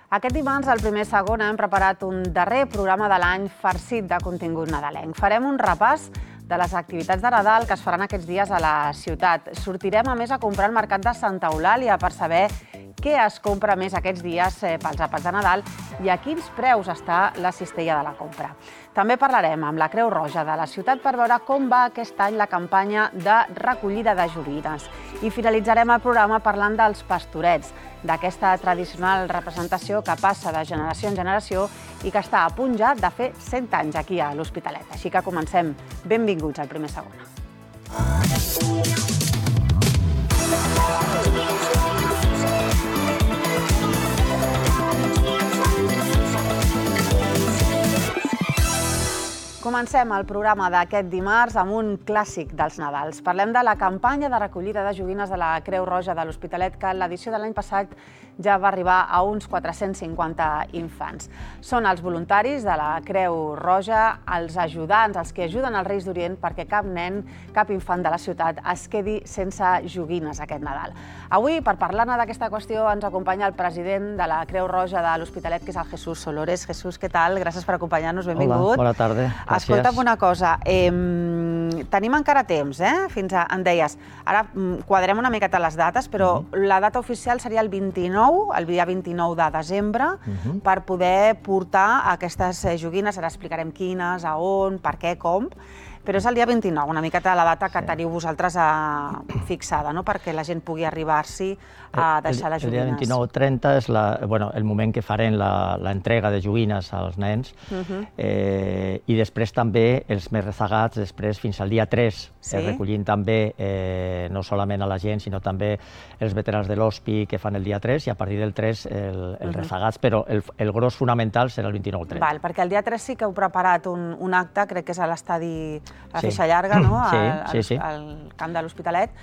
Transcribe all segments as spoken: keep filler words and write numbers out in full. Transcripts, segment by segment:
Aquest dimarts, al primer segon, hem preparat un darrer programa de l'any farcit de contingut nadalenc. Farem un repàs de les activitats de Nadal que es faran aquests dies a la ciutat. Sortirem, a més, a comprar al mercat de Santa Eulàlia per saber què es compra més aquests dies pels àpats de Nadal i a quins preus està la cistella de la compra. També parlarem amb la Creu Roja de la ciutat per veure com va aquest any la campanya de recollida de joguines. I finalitzarem el programa parlant dels pastorets, d'aquesta tradicional representació que passa de generació en generació i que està a punt ja de fer cent anys aquí a l'Hospitalet. Així que comencem. Benvinguts al primer segon. Comencem el programa d'aquest dimarts amb un clàssic dels Nadals. Parlem de la campanya de recollida de joguines de la Creu Roja de l'Hospitalet, que en l'edició de l'any passat ja va arribar a uns quatre-cents cinquanta infants. Són els voluntaris de la Creu Roja, els ajudants, els que ajuden als Reis d'Orient perquè cap nen, cap infant de la ciutat es quedi sense joguines aquest Nadal. Avui, per parlar-ne d'aquesta qüestió, ens acompanya el president de la Creu Roja de l'Hospitalet, que és el Jesús Solores. Jesús, què tal? Gràcies per acompanyar-nos, benvingut. Hola, bona tarda. Escolta'm una cosa, eh, tenim encara temps, eh? Fins a, em deies, ara quadrem una miqueta les dates, però uh-huh. la data oficial seria el vint-i-nou, el dia vint-i-nou de desembre, uh-huh. per poder portar aquestes joguines. Ara explicarem quines, a on, per què, com, però és el dia vint-i-nou, una miqueta la data que sí. teniu vosaltres a... fixada, no? Perquè la gent pugui arribar-s'hi a deixar les joguines. El dia vint-i-nou trenta és la, bueno, el moment que farem l'entrega de joguines als nens, uh-huh. eh, i després també els més rezagats, després fins al dia tres, sí? eh, recollint també eh, no solament a la gent, sinó també els veterans de l'Hospi que fan el dia tres, i a partir del tres el, els uh-huh. rezagats, però el, el gros fonamental serà el vint-i-nou trenta. Val, perquè el dia tres sí que heu preparat un, un acte, crec que és a l'estadi a la sí. Feixa Llarga, no? Sí, al, sí, sí. al camp de l'Hospitalet.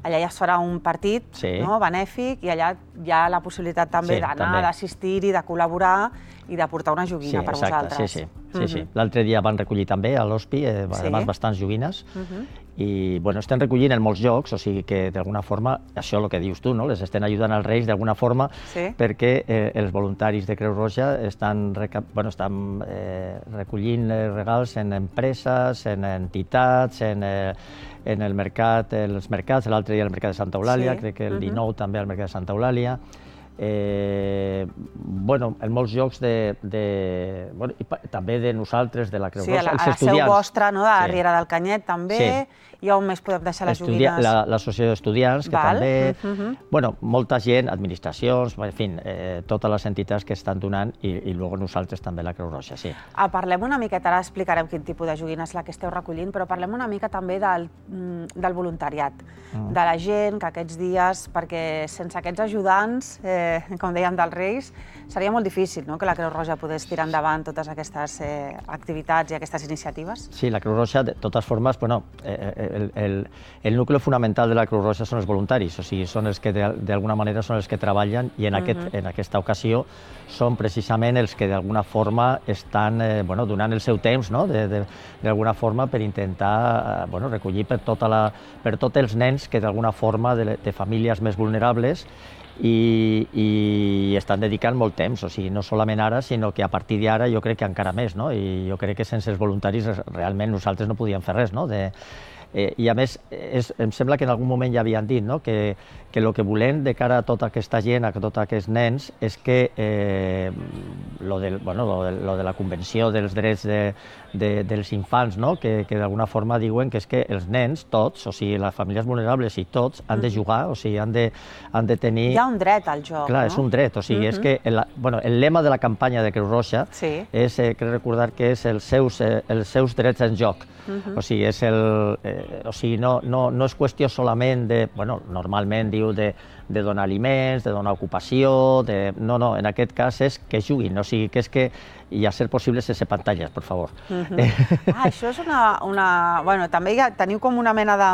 Allà ja es farà un partit sí. no? benèfic i allà hi ha la possibilitat també sí, d'anar, d'assistir-hi, de col·laborar i de portar una joguina sí, per exacte, vosaltres. Sí, sí. Sí, sí. L'altre dia van recollir també a l'Hospi, eh, sí. además bastants joguines, uh-huh. i bueno, estem recollint en molts llocs, o sigui que d'alguna forma, això el que dius tu, no? Les estem ajudant als Reis d'alguna forma, sí. perquè eh, els voluntaris de Creu Roja estan, bueno, estan eh, recollint regals en empreses, en entitats, en, eh, en el mercat, els mercats, l'altre dia al mercat de Santa Eulàlia, sí. crec que el dinou uh-huh. també al mercat de Santa Eulàlia. Eh, bueno, en molts llocs de, de, bueno, i també de nosaltres, de la Creu Roja, sí, a la, els estudiants. Sí, a la seu vostra, no? De la sí. Riera del Canyet, també, sí. i on més podem deixar les Estudia, joguines? L'associació d'estudiants, que Val. també, uh-huh. bueno, molta gent, administracions, en fi, eh, totes les entitats que estan donant, i, i luego nosaltres també, la Creu Roja, sí. Ah, parlem una miqueta, ara explicarem quin tipus de joguina és la que esteu recollint, però parlem una mica també del, del voluntariat, mm. de la gent que aquests dies, perquè sense aquests ajudants, eh, com dèiem, dels Reis, seria molt difícil, no?, que la Creu Roja pogués tirar endavant totes aquestes eh, activitats i aquestes iniciatives. Sí, la Creu Roja, de totes formes, bueno, eh, el, el, el nucli fonamental de la Creu Roja són els voluntaris, o sigui, són els que d'alguna manera són els que treballen, i en, aquest, uh-huh. en aquesta ocasió són precisament els que d'alguna forma estan eh, bueno, donant el seu temps, no?, d'alguna forma per intentar eh, bueno, recollir per, tota la, per tots els nens que d'alguna forma de, de famílies més vulnerables, I, i estan dedicant molt temps, o sigui, no solament ara, sinó que a partir d'ara jo crec que encara més, no? I jo crec que sense els voluntaris realment nosaltres no podíem fer res, no? De, eh, I a més, és, em sembla que en algun moment ja havien dit, no?, que, que el que volem de cara a tota aquesta gent, a tots aquests nens, és que eh, lo, del, bueno, lo, de, lo de la Convenció dels Drets de, de, dels Infants, no?, que, que d'alguna forma diuen que és que els nens, tots, o sigui, les famílies vulnerables i tots, han de jugar, o sigui, han de, han de tenir... Hi ha un dret al joc, Clar, no? és un dret, o sigui, uh-huh. és que el, bueno, el lema de la campanya de Creu Roja sí. és, eh, crec recordar que és els seus, eh, els seus drets en joc. Uh-huh. O sigui, és el, eh, o sigui, no, no, no és qüestió solament de, bueno, normalment diu de, de donar aliments, de donar ocupació, de... no, no, en aquest cas és que juguin, o sigui, que és que i a ser possible sense pantalles, per favor. Uh-huh. Ah, això és una, una... Bueno, també ja teniu com una mena de,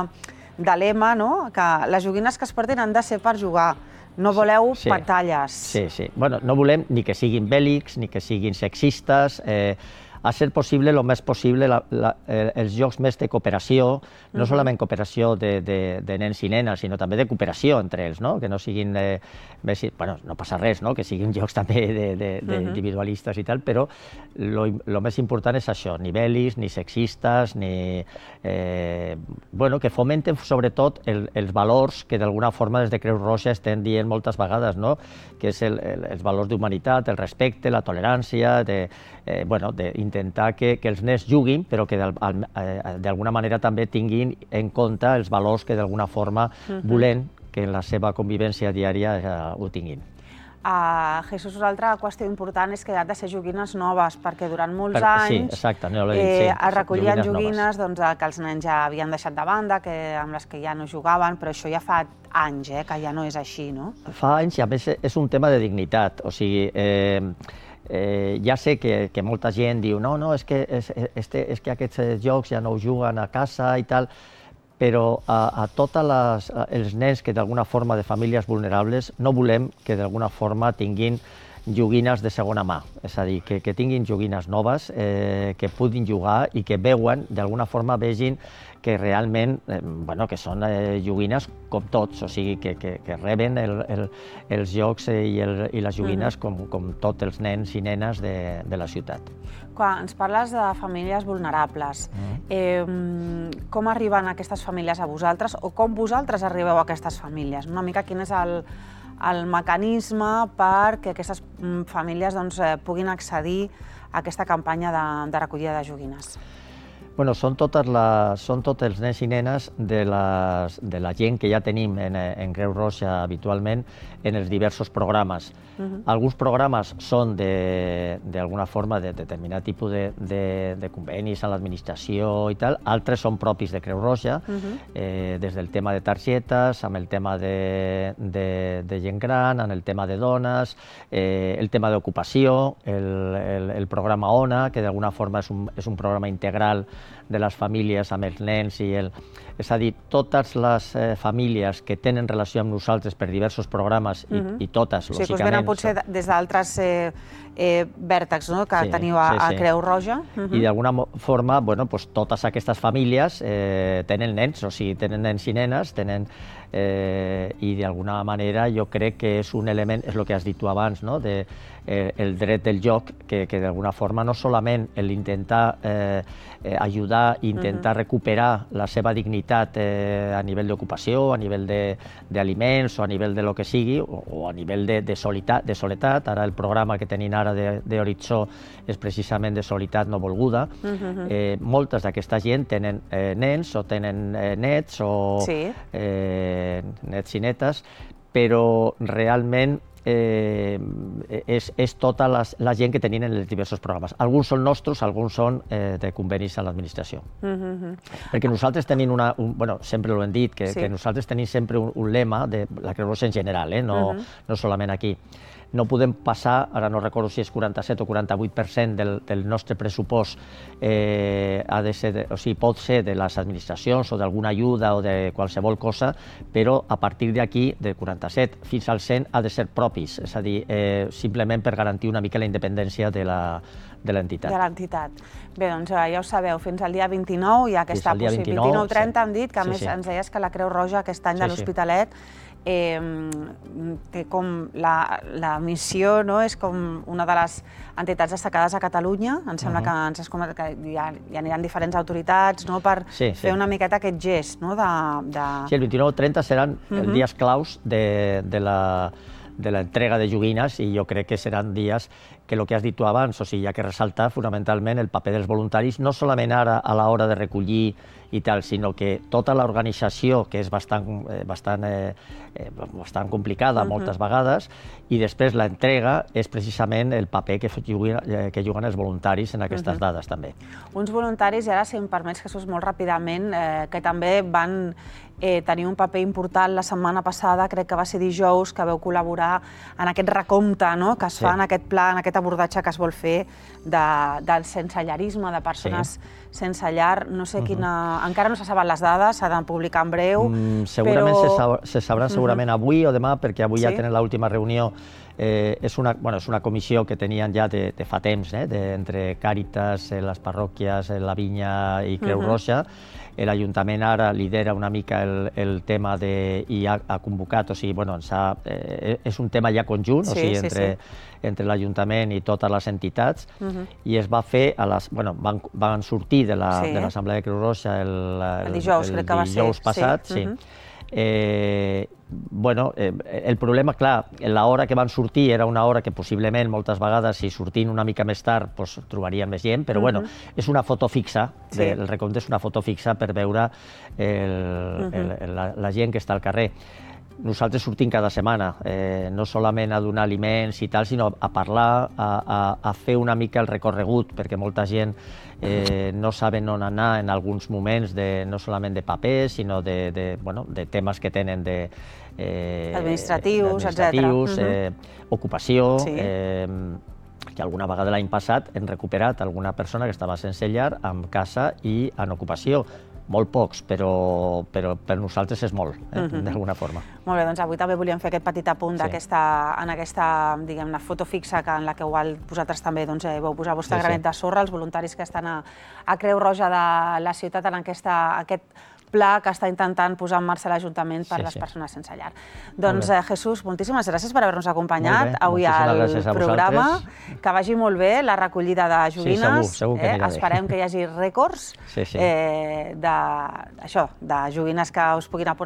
de lema, no?, que les joguines que es porten han de ser per jugar. No voleu sí, pantalles. Sí, sí. Bueno, no volem ni que siguin bèl·lics, ni que siguin sexistes. Eh, a ser possible, el més possible, la, la, els jocs més de cooperació, no uh-huh. solament cooperació de, de, de nens i nenes, sinó també de cooperació entre ells, no? Que no siguin, eh, més, bueno, no passa res, no? Que siguin jocs també d'individualistes uh-huh. i tal, però el més important és això, ni bel·lis, ni sexistes, ni... Eh, bueno, que fomenten sobretot el, els valors que d'alguna forma des de Creu Roja estem dient moltes vegades, no? Que és el, el, els valors d'humanitat, el respecte, la tolerància, de, eh, bueno, d'intentar que, que els nens juguin, però que d'alguna manera també tinguin en compte els valors que d'alguna forma uh-huh. volem que en la seva convivència diària eh, ho tinguin. Uh, Jesús, una altra qüestió important és que han de ser joguines noves, perquè durant molts per, anys sí, exacte, no dit, eh, sí, es recollien joguines, joguines doncs, que els nens ja havien deixat de banda, que, amb les que ja no jugaven, però això ja fa anys eh, que ja no és així, no? Fa anys i a més és un tema de dignitat, o sigui... Eh, Eh, ja sé que, que molta gent diu no, no, és que, és, este, és que aquests jocs ja no ho juguen a casa i tal, però a, a tots els nens que d'alguna forma de famílies vulnerables no volem que d'alguna forma tinguin joguines de segona mà, és a dir, que, que tinguin joguines noves, eh, que puguin jugar i que veuen, d'alguna forma vegin que realment, eh, bueno, que són eh, joguines com tots, o sigui, que, que, que reben el, el, els jocs i, el, i les joguines mm. com, com tots els nens i nenes de, de la ciutat. Quan ens parles de famílies vulnerables, mm. eh, com arriben aquestes famílies a vosaltres o com vosaltres arribeu a aquestes famílies? Una mica quin és el, el mecanisme perquè aquestes famílies doncs, puguin accedir a aquesta campanya de, de recollida de joguines? Bueno, són, totes les, són tots els nens i nenes de, les, de la gent que ja tenim en, en Creu Roja habitualment en els diversos programes. Uh-huh. Alguns programes són d'alguna forma de determinat tipus de, de, de convenis a l'administració i tal, altres són propis de Creu Roja, uh-huh. eh, des del tema de targetes, amb el tema de, de, de gent gran, amb el tema de dones, eh, el tema d'ocupació, el, el, el programa ONA, que d'alguna forma és un, és un programa integral de les famílies amb els nens i el... És a dir, totes les eh, famílies que tenen relació amb nosaltres per diversos programes i, uh-huh. i totes, lògicament... Sí, que us venen potser són... des d'altres eh, eh, vèrtexs no? que sí, teniu a, sí, sí. a Creu Roja. Uh-huh. I d'alguna forma, bueno, pues, totes aquestes famílies eh, tenen nens, o sigui, tenen nens i nenes, tenen... Eh, i d'alguna manera jo crec que és un element, és el que has dit tu abans, no? de, eh, el dret del joc, que, que d'alguna forma no solament l'intentar eh, eh, ajudar, intentar uh-huh. recuperar la seva dignitat eh, a nivell d'ocupació, a nivell d'aliments o a nivell de lo que sigui, o, o a nivell de, de, solitat, de soledat. Ara el programa que tenim ara d'Horitzó és precisament de solitat no volguda. Uh-huh. eh, moltes d'aquesta gent tenen eh, nens o tenen eh, nets o sí. eh, nets i netes, però realment eh, és, és tota les, la gent que tenien en els diversos programes. Alguns són nostres, alguns són eh, de convenis a l'administració. Uh-huh. Perquè nosaltres tenim una... Un, bueno, sempre ho hem dit, que, sí. que nosaltres tenim sempre un, un lema de la Creu Roja en general, eh, no, uh-huh. no solament aquí. No podem passar, ara no recordo si és quaranta-set o quaranta-vuit per cent del, del nostre pressupost, eh, ha de ser de, o sigui, pot ser de les administracions o d'alguna ajuda o de qualsevol cosa, però a partir d'aquí, del quaranta-set fins al cent, ha de ser propis, és a dir, eh, simplement per garantir una mica la independència de la de l'entitat. De l'entitat. Bé, doncs ja ho sabeu, fins al dia vint-i-nou hi ha aquesta possibilitat, vint-i-nou trenta hem dit, que a més ens deies que la Creu Roja aquest any de l'Hospitalet Eh, té com la, la missió, no? És com una de les entitats destacades a Catalunya. Em sembla uh-huh. que ens has comentat que hi, ha, hi aniran diferents autoritats no? per sí, sí. fer una miqueta aquest gest. No? De, de... Sí, el vint-i-nou trenta seran uh-huh. els dies claus de, de la de l'entrega de joguines i jo crec que seran dies que el que has dit tu abans, o sigui, hi ha que ressaltar fonamentalment el paper dels voluntaris, no solament ara a l'hora de recollir i tal, sinó que tota l'organització, que és bastant, eh, bastant, eh, bastant complicada uh-huh. moltes vegades, i després l'entrega és precisament el paper que juguen, eh, que juguen els voluntaris en aquestes uh-huh. dades també. Uns voluntaris, i ara si em permets, Jesús, molt ràpidament, eh, que també van eh, tenir un paper important la setmana passada, crec que va ser dijous, que vau col·laborar en aquest recompte no? que es fa sí. en aquest pla, en aquest abordatge que es vol fer de, del sensellarisme, de persones sí. sense llar. No sé quina... Uh-huh. Encara no se saben les dades, s'ha de publicar en breu, mm, segurament però... se, sab se sabran segurament uh-huh. avui o demà, perquè avui sí? ja tenen l'última reunió és una comissió que tenien ja de fa temps, entre Càritas, les parròquies, la Vinya i Creu Roja. L'Ajuntament ara lidera una mica el tema i ha convocat, o sigui, és un tema ja conjunt, o sigui, entre l'Ajuntament i totes les entitats, i es va fer, van sortir de l'Assemblea de Creu Roja el dijous passat, sí. Bueno, el problema, clar, l'hora que van sortir era una hora que possiblement moltes vegades, si sortint una mica més tard, trobarien més gent, però bueno, és una foto fixa, el recompte és una foto fixa per veure la gent que està al carrer. Nosaltres sortim cada setmana, no solament a donar aliments i tal, sinó a parlar, a fer una mica el recorregut, perquè molta gent no saben on anar en alguns moments, no solament de papers, sinó de temes que tenen administratius, etcètera. Ocupació, que alguna vegada l'any passat hem recuperat alguna persona que estava sense llar, amb casa i en ocupació. Molt pocs, però per nosaltres és molt, d'alguna forma. Molt bé, doncs avui també volíem fer aquest petit apunt en aquesta, diguem-ne, foto fixa en la que vosaltres també vau posar el vostre granet de sorra, els voluntaris que estan a Creu Roja de la ciutat en aquest pla que està intentant posar en marxa l'Ajuntament per a les persones sense llar. Doncs, Jesús, moltíssimes gràcies per haver-nos acompanyat avui al programa. Que vagi molt bé la recollida de joguines. Esperem que hi hagi rècords de joguines que us puguin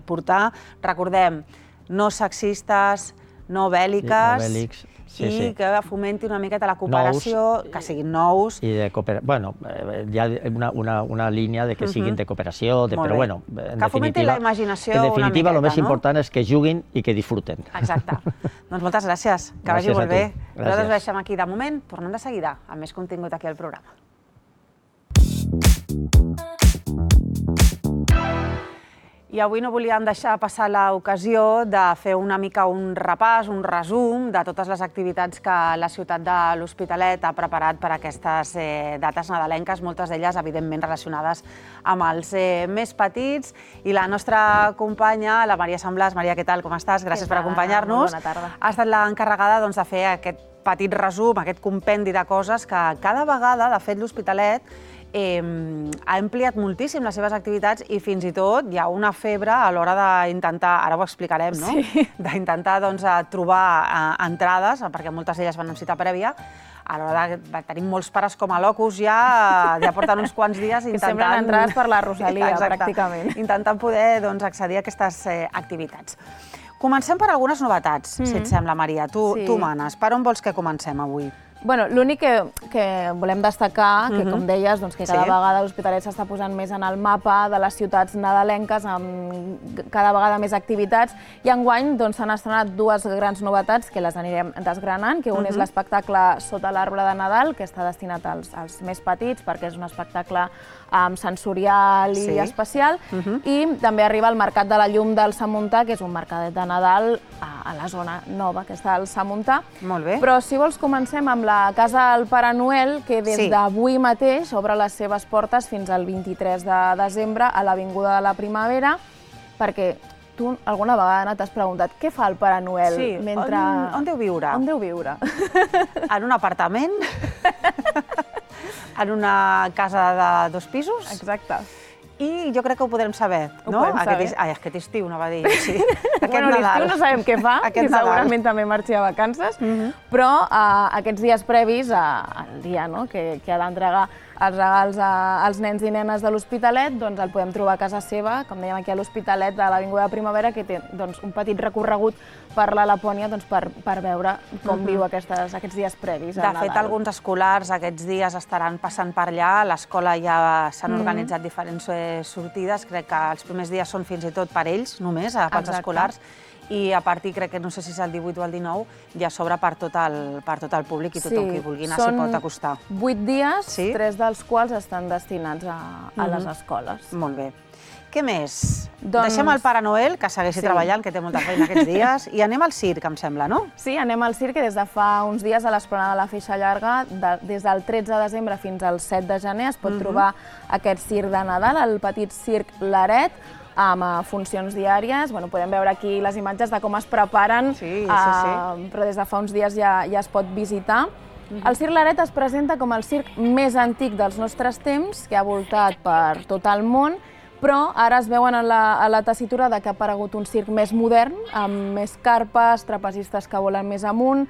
portar. Recordem, no sexistes, no bèl·liques, i que fomenti una miqueta la cooperació, que siguin nous. Bueno, hi ha una línia que siguin de cooperació, però bueno, en definitiva el més important és que juguin i que disfruten. Exacte. Doncs moltes gràcies, que vagi molt bé. Nosaltres ho deixem aquí de moment, tornem de seguida amb més contingut aquí al programa. I avui no volíem deixar passar l'ocasió de fer una mica un repàs, un resum de totes les activitats que la ciutat de l'Hospitalet ha preparat per a aquestes dates nadalenques, moltes d'elles, evidentment, relacionades amb els més petits. I la nostra companya, la Maria Samblàs. Maria, què tal? Com estàs? Gràcies per acompanyar-nos. Bona tarda. Ha estat l'encarregada de fer aquest petit resum, aquest compendi de coses que cada vegada, de fet, l'Hospitalet ha ampliat moltíssim les seves activitats i fins i tot hi ha una febre a l'hora d'intentar, ara ho explicarem, no? D'intentar trobar entrades, perquè moltes d'elles van amb cita prèvia. A l'hora de tenir molts pares com a locus ja porten uns quants dies intentant... Que semblen entrades per la Rosalia, pràcticament. Intentant poder accedir a aquestes activitats. Comencem per algunes novetats, si et sembla, Maria. Tu manes. Per on vols que comencem avui? Bueno, l'únic que volem destacar, que com deies, que cada vegada l'Hospitalet s'està posant més en el mapa de les ciutats nadalenques, amb cada vegada més activitats, i enguany s'han estrenat dues grans novetats que les anirem desgranant, que un és l'espectacle Sota l'arbre de Nadal, que està destinat als més petits, perquè és un espectacle sensorial i especial, i també arriba el Mercat de la Llum del Samuntà, que és un mercadet de Nadal a la zona nova, que està al Samuntà. Molt bé. Però si vols comencem amb la Casa del Pare Noel, que des d'avui mateix obre les seves portes fins al vint-i-tres de desembre a l'Avinguda de la Primavera, perquè tu alguna vegada t'has preguntat què fa el Pare Noel mentre... On deu viure? On deu viure? En un apartament? En una casa de dos pisos? Exacte. I jo crec que ho podrem saber, no? Ho podem saber. Ai, aquest estiu, anava a dir, sí. Bueno, l'estiu no sabem què fa, que segurament també marxi a vacances, però aquests dies previs al dia que ha d'entregar els regals als nens i nenes de l'Hospitalet, doncs el podem trobar a casa seva, com dèiem aquí a l'Hospitalet de l'Avinguda de Primavera, que té un petit recorregut per la Lapònia per veure com viu aquests dies previs a Nadal. De fet, alguns escolars aquests dies estaran passant per allà, a l'escola ja s'han organitzat diferents sortides, crec que els primers dies són fins i tot per ells, només, pels escolars, i a partir, crec que no sé si és el divuit o el dinou, ja s'obre per tot el públic i tothom qui vulgui anar s'hi pot acostar. Són vuit dies, tres dels quals estan destinats a les escoles. Molt bé. Què més? Deixem el Pare Noel, que segueixi treballant, que té molta feina aquests dies, i anem al circ, em sembla, no? Sí, anem al circ, que des de fa uns dies a l'Esplanada de la Feixa Llarga, des del tretze de desembre fins al set de gener, es pot trobar aquest circ de Nadal, el petit circ L'Aret, amb funcions diàries. Podem veure aquí les imatges de com es preparen, però des de fa uns dies ja es pot visitar. El Circ Claret es presenta com el circ més antic dels nostres temps, que ha voltat per tot el món, però ara es veuen a la tessitura que ha aparegut un circ més modern, amb més carpes, trapezistes que volen més amunt,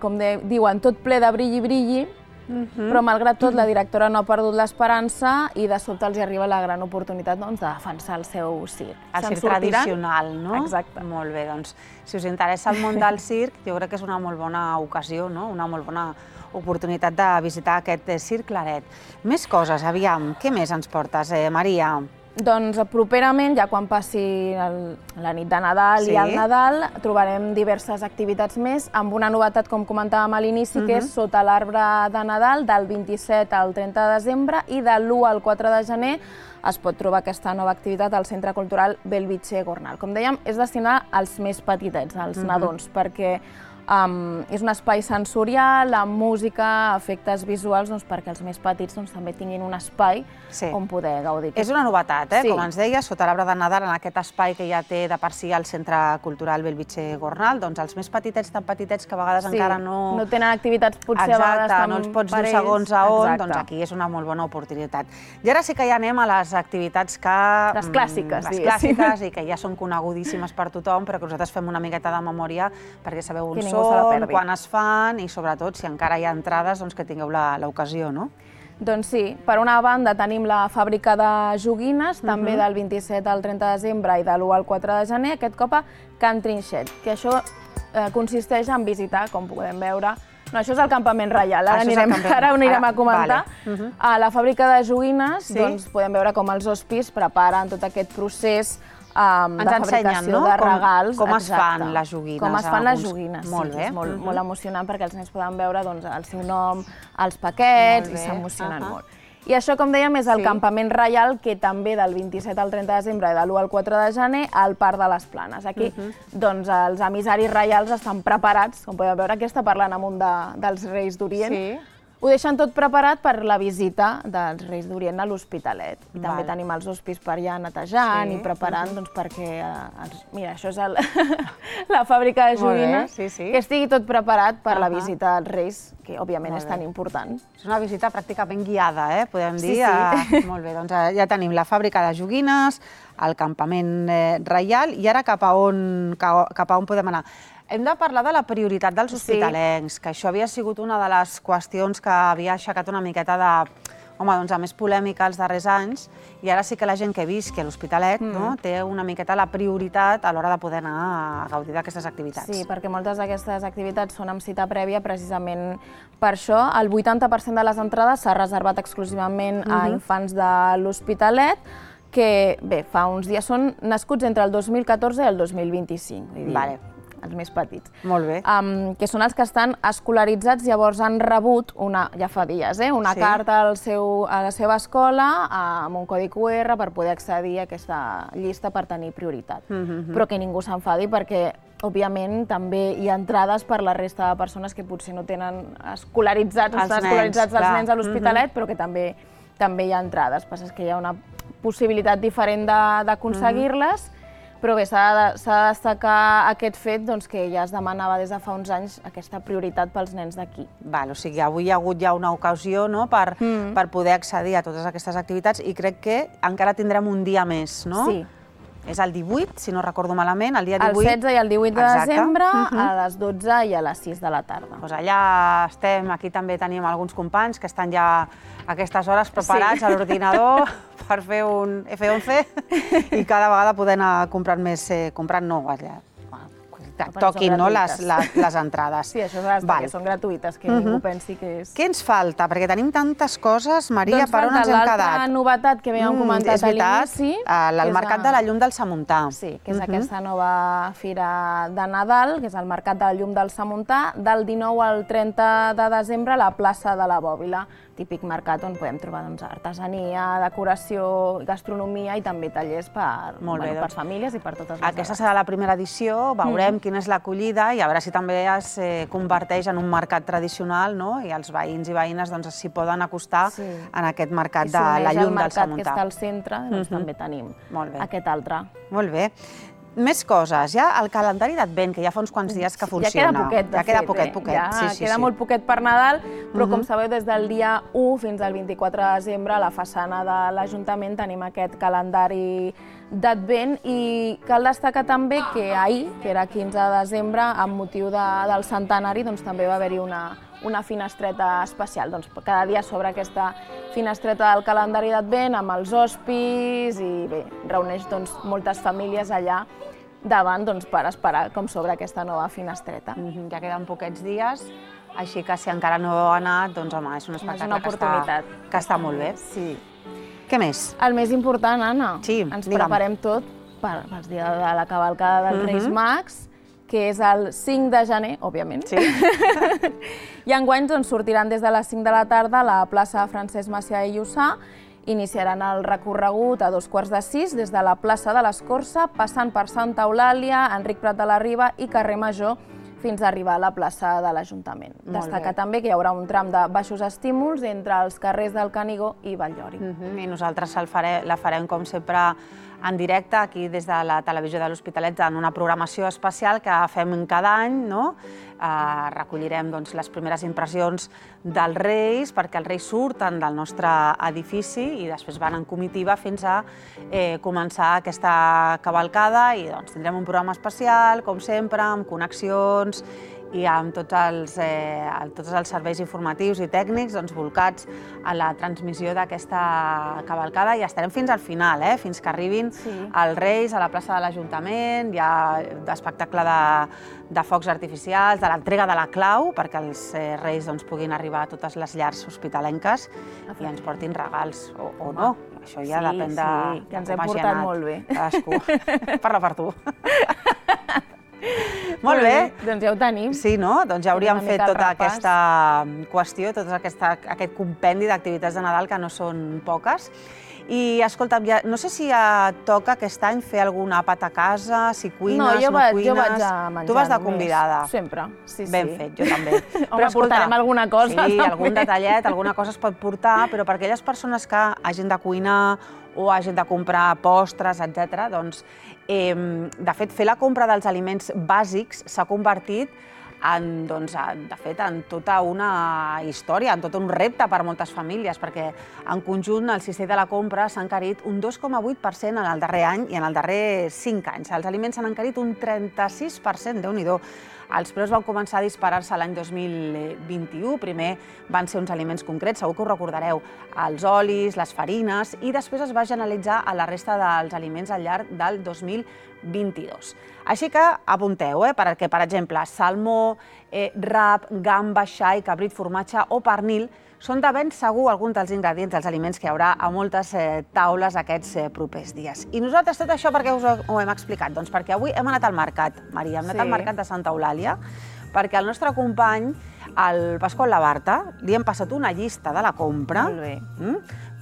com diuen, tot ple de brilli-brilli, però malgrat tot la directora no ha perdut l'esperança i de sobte els arriba la gran oportunitat de defensar el seu circ. El circ tradicional, no? Exacte. Molt bé, doncs si us interessa el món del circ, jo crec que és una molt bona ocasió, una molt bona oportunitat de visitar aquest Circ Claret. Més coses, aviam, què més ens portes, Maria? Doncs properament, ja quan passi la nit de Nadal i el Nadal, trobarem diverses activitats més, amb una novetat, com comentàvem a l'inici, que és sota l'arbre de Nadal, del vint-i-set al trenta de desembre, i de l'u al quatre de gener es pot trobar aquesta nova activitat al Centre Cultural Bellvitge Gornal. Com dèiem, és destinada als més petitets, als nadons, perquè és un espai sensorial, amb música, efectes visuals, perquè els més petits també tinguin un espai on poder gaudir. És una novetat, com ens deies, sota l'arbre de Nadal, en aquest espai que ja té de per si el Centre Cultural Bellvitge Gornal, doncs els més petitets, tan petitets que a vegades encara no... no tenen activitats potser a vegades Exacte, no els pots dir segons a on, doncs aquí és una molt bona oportunitat. I ara sí que ja anem a les activitats que... Les clàssiques, Les clàssiques i que ja són conegudíssimes per tothom, però que nosaltres fem una miqueta de memòria perquè sabeu on són, quan es fan i sobretot si encara hi ha entrades que tingueu l'ocasió, no? Doncs sí, per una banda tenim la fàbrica de joguines, també del vint-i-set al trenta de desembre i de l'u al quatre de gener, aquest cop a Can Trinxet, que això consisteix en visitar, com podem veure, no, això és el campament reial, ara ho anirem a comentar. A la fàbrica de joguines podem veure com els hospis preparen tot aquest procés de fabricació de regals. Com es fan les joguines. Com es fan les joguines, sí, és molt emocionant perquè els nens poden veure el seu nom, els paquets i s'emocionen molt. I això, com dèiem, és el campament reial que també del vint-i-set al trenta de desembre i de l'u al quatre de gener al Parc de les Planes. Aquí els emissaris reials estan preparats, com podeu veure, aquí està parlant amb un dels Reis d'Orient. Ho deixen tot preparat per la visita dels Reis d'Orient a l'Hospitalet. I també tenim els hospis per allà netejant i preparant perquè... Mira, això és la fàbrica de joguines, que estigui tot preparat per la visita dels Reis, que òbviament és tan important. És una visita pràcticament guiada, podem dir. Molt bé, doncs ja tenim la fàbrica de joguines, el campament reial, i ara cap a on podem anar? Hem de parlar de la prioritat dels hospitalencs, que això havia sigut una de les qüestions que havia aixecat una miqueta de... home, doncs a més polèmica els darrers anys, i ara sí que la gent que visqui a l'Hospitalet té una miqueta la prioritat a l'hora de poder anar a gaudir d'aquestes activitats. Sí, perquè moltes d'aquestes activitats són amb cita prèvia precisament per això. El vuitanta per cent de les entrades s'ha reservat exclusivament a infants de l'Hospitalet, que, bé, fa uns dies són nascuts entre el dos mil catorze i el dos mil vint-i-cinc. Vale. Els més petits. Molt bé. Que són els que estan escolaritzats, llavors han rebut, ja fa dies, una carta a la seva escola amb un codi cu erre per poder accedir a aquesta llista per tenir prioritat. Però que ningú s'enfadi perquè, òbviament, també hi ha entrades per la resta de persones que potser no tenen escolaritzats els nens a l'Hospitalet, però que també hi ha entrades. El que passa és que hi ha una possibilitat diferent d'aconseguir-les, però bé, s'ha de destacar aquest fet que ja es demanava des de fa uns anys aquesta prioritat pels nens d'aquí. O sigui, avui hi ha hagut ja una ocasió per poder accedir a totes aquestes activitats i crec que encara tindrem un dia més, no? Sí. És el divuit, si no recordo malament, el dia divuit. El setze i el divuit de desembre, a les dotze i a les sis de la tarda. Doncs allà estem, aquí també tenim alguns companys que estan ja a aquestes hores preparats a l'ordinador per fer un efe onze i cada vegada poder anar comprant més, comprant no, allà. Toquin les entrades. Sí, això és perquè són gratuïtes, que ningú pensi que és... Què ens falta? Perquè tenim tantes coses, Maria, per on ens hem quedat? Doncs falta l'altra novetat que havíem comentat a l'inici. El Mercat de la Llum del Samuntà. Sí, que és aquesta nova fira de Nadal, que és el Mercat de la Llum del Samuntà, del dinou al trenta de desembre a la plaça de la Bòbila. Típic mercat on podem trobar artesania, decoració, gastronomia i també tallers per famílies i per totes les edats. Aquesta serà la primera edició, veurem quina és l'acollida i a veure si també es converteix en un mercat tradicional i els veïns i veïnes s'hi poden acostar en aquest mercat de la llum del Samuntà. I si uneix el mercat que està al centre, doncs també tenim aquest altre. Molt bé. Més coses, ja el calendari d'Advent, que ja fa uns quants dies que funciona. Ja queda poquet, de fet. Ja queda poquet, poquet. Ja queda molt poquet per Nadal, però com sabeu, des del dia u fins al vint-i-quatre de desembre a la façana de l'Ajuntament tenim aquest calendari d'Advent i cal destacar també que ahir, que era quinze de desembre, amb motiu del centenari, també va haver-hi una finestreta especial. Cada dia s'obre aquesta finestreta del calendari d'Advent amb els hospis i bé, reuneix moltes famílies allà davant per esperar com s'obre aquesta nova finestreta. Ja queden poquets dies, així que si encara no heu anat, doncs home, és un espectacle que està molt bé. Sí. Què més? El més important, Anna, Sí, ens digue'm. preparem tot pels dies de la cavalcada dels Reis Mags, que és el cinc de gener, òbviament. Sí. I enguany sortiran des de les cinc de la tarda a la plaça Francesc Macià i Lluçà. Iniciaran el recorregut a dos quarts de sis des de la plaça de l'Escorça, passant per Santa Eulàlia, Enric Prat de la Riba i Carrer Major, fins a arribar a la plaça de l'Ajuntament. Destacar també que hi haurà un tram de baixos estímuls entre els carrers del Canigó i Batllori. I nosaltres la farem, com sempre, en directe, aquí des de la televisió de l'Hospitalet, en una programació especial que fem cada any. Recollirem les primeres impressions dels Reis, perquè els Reis surten del nostre edifici i després van en comitiva fins a començar aquesta cavalcada i tindrem un programa especial, com sempre, amb connexions i amb tots els serveis informatius i tècnics volcats a la transmissió d'aquesta cavalcada i estarem fins al final, fins que arribin els Reis a la plaça de l'Ajuntament. Hi ha espectacle de focs artificials, de l'entrega de la clau, perquè els Reis puguin arribar a totes les llars hospitalenques i ens portin regals, o no. Això ja depèn de com hagi anat. Que ens hem portat molt bé. Cadascú. Parla per tu. Molt bé. Doncs ja ho tenim. Sí, no? Doncs ja hauríem fet tota aquesta qüestió, tot aquest compendi d'activitats de Nadal, que no són poques. I, escolta'm, no sé si toca aquest any fer algun àpat a casa, si cuines, no cuines... No, jo vaig a menjar només. Tu vas de convidada. Sempre, sí, sí. Ben fet, jo també. Home, portarem alguna cosa. Sí, algun detallet, alguna cosa es pot portar, però per aquelles persones que hagin de cuinar o hagin de comprar postres, etcètera, doncs, de fet, fer la compra dels aliments bàsics s'ha convertit en, doncs, de fet, en tota una història, en tot un repte per moltes famílies, perquè en conjunt el cistell de la compra s'ha encarit un dos coma vuit per cent en el darrer any i en el darrer cinc anys. Els aliments s'han encarit un trenta-sis per cent, Déu-n'hi-do. Els preus van començar a disparar-se l'any dos mil vint-i-u. Primer van ser uns aliments concrets, segur que ho recordareu, els olis, les farines, i després es va generalitzar a la resta dels aliments al llarg del dos mil vint-i-dos. Així que apunteu, perquè, per exemple, salmó, rap, gamba, xai, cabrit, formatge o pernil són de ben segur alguns dels ingredients dels aliments que hi haurà a moltes taules aquests propers dies. I nosaltres tot això per què us ho hem explicat? Doncs perquè avui hem anat al mercat, Maria, hem anat al mercat de Santa Eulàlia, perquè al nostre company, el Pasqual Labarta, li hem passat una llista de la compra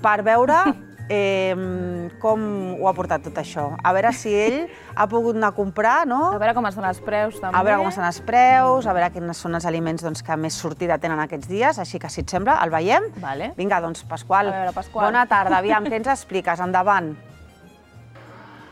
per veure com ho ha portat tot això. A veure si ell ha pogut anar a comprar, no? A veure com estan els preus, també. A veure com estan els preus, a veure quins són els aliments que més sortida tenen aquests dies. Així que, si et sembla, el veiem? Vinga, doncs, Pasqual, bona tarda. Aviam, què ens expliques? Endavant.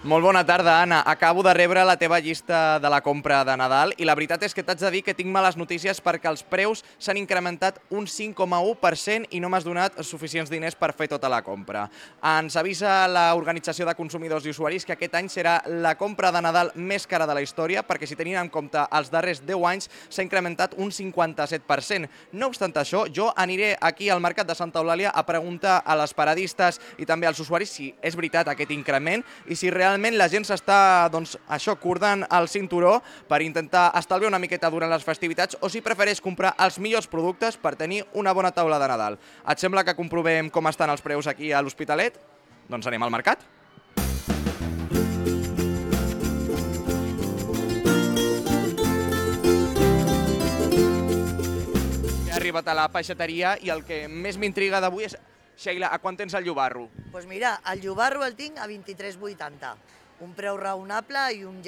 Molt bona tarda, Anna. Acabo de rebre la teva llista de la compra de Nadal i la veritat és que t'haig de dir que tinc males notícies perquè els preus s'han incrementat un cinc coma u per cent i no m'has donat suficients diners per fer tota la compra. Ens avisa l'Organització de Consumidors i Usuaris que aquest any serà la compra de Nadal més cara de la història perquè, si tenint en compte els darrers deu anys, s'ha incrementat un cinquanta-set per cent. No obstant això, jo aniré aquí al Mercat de Santa Eulàlia a preguntar a les paradistes i també als usuaris si és veritat aquest increment i si realment Realment la gent s'està, doncs, això, cordant el cinturó per intentar estalviar una miqueta durant les festivitats o si prefereix comprar els millors productes per tenir una bona taula de Nadal. Et sembla que comprovem com estan els preus aquí a l'Hospitalet? Doncs anem al mercat. He arribat a la peixateria i el que més m'intriga d'avui és... Sheila, a quant tens el llobarro? Doncs mira, el llobarro el tinc a vint-i-tres vuitanta. Un preu raonable i un,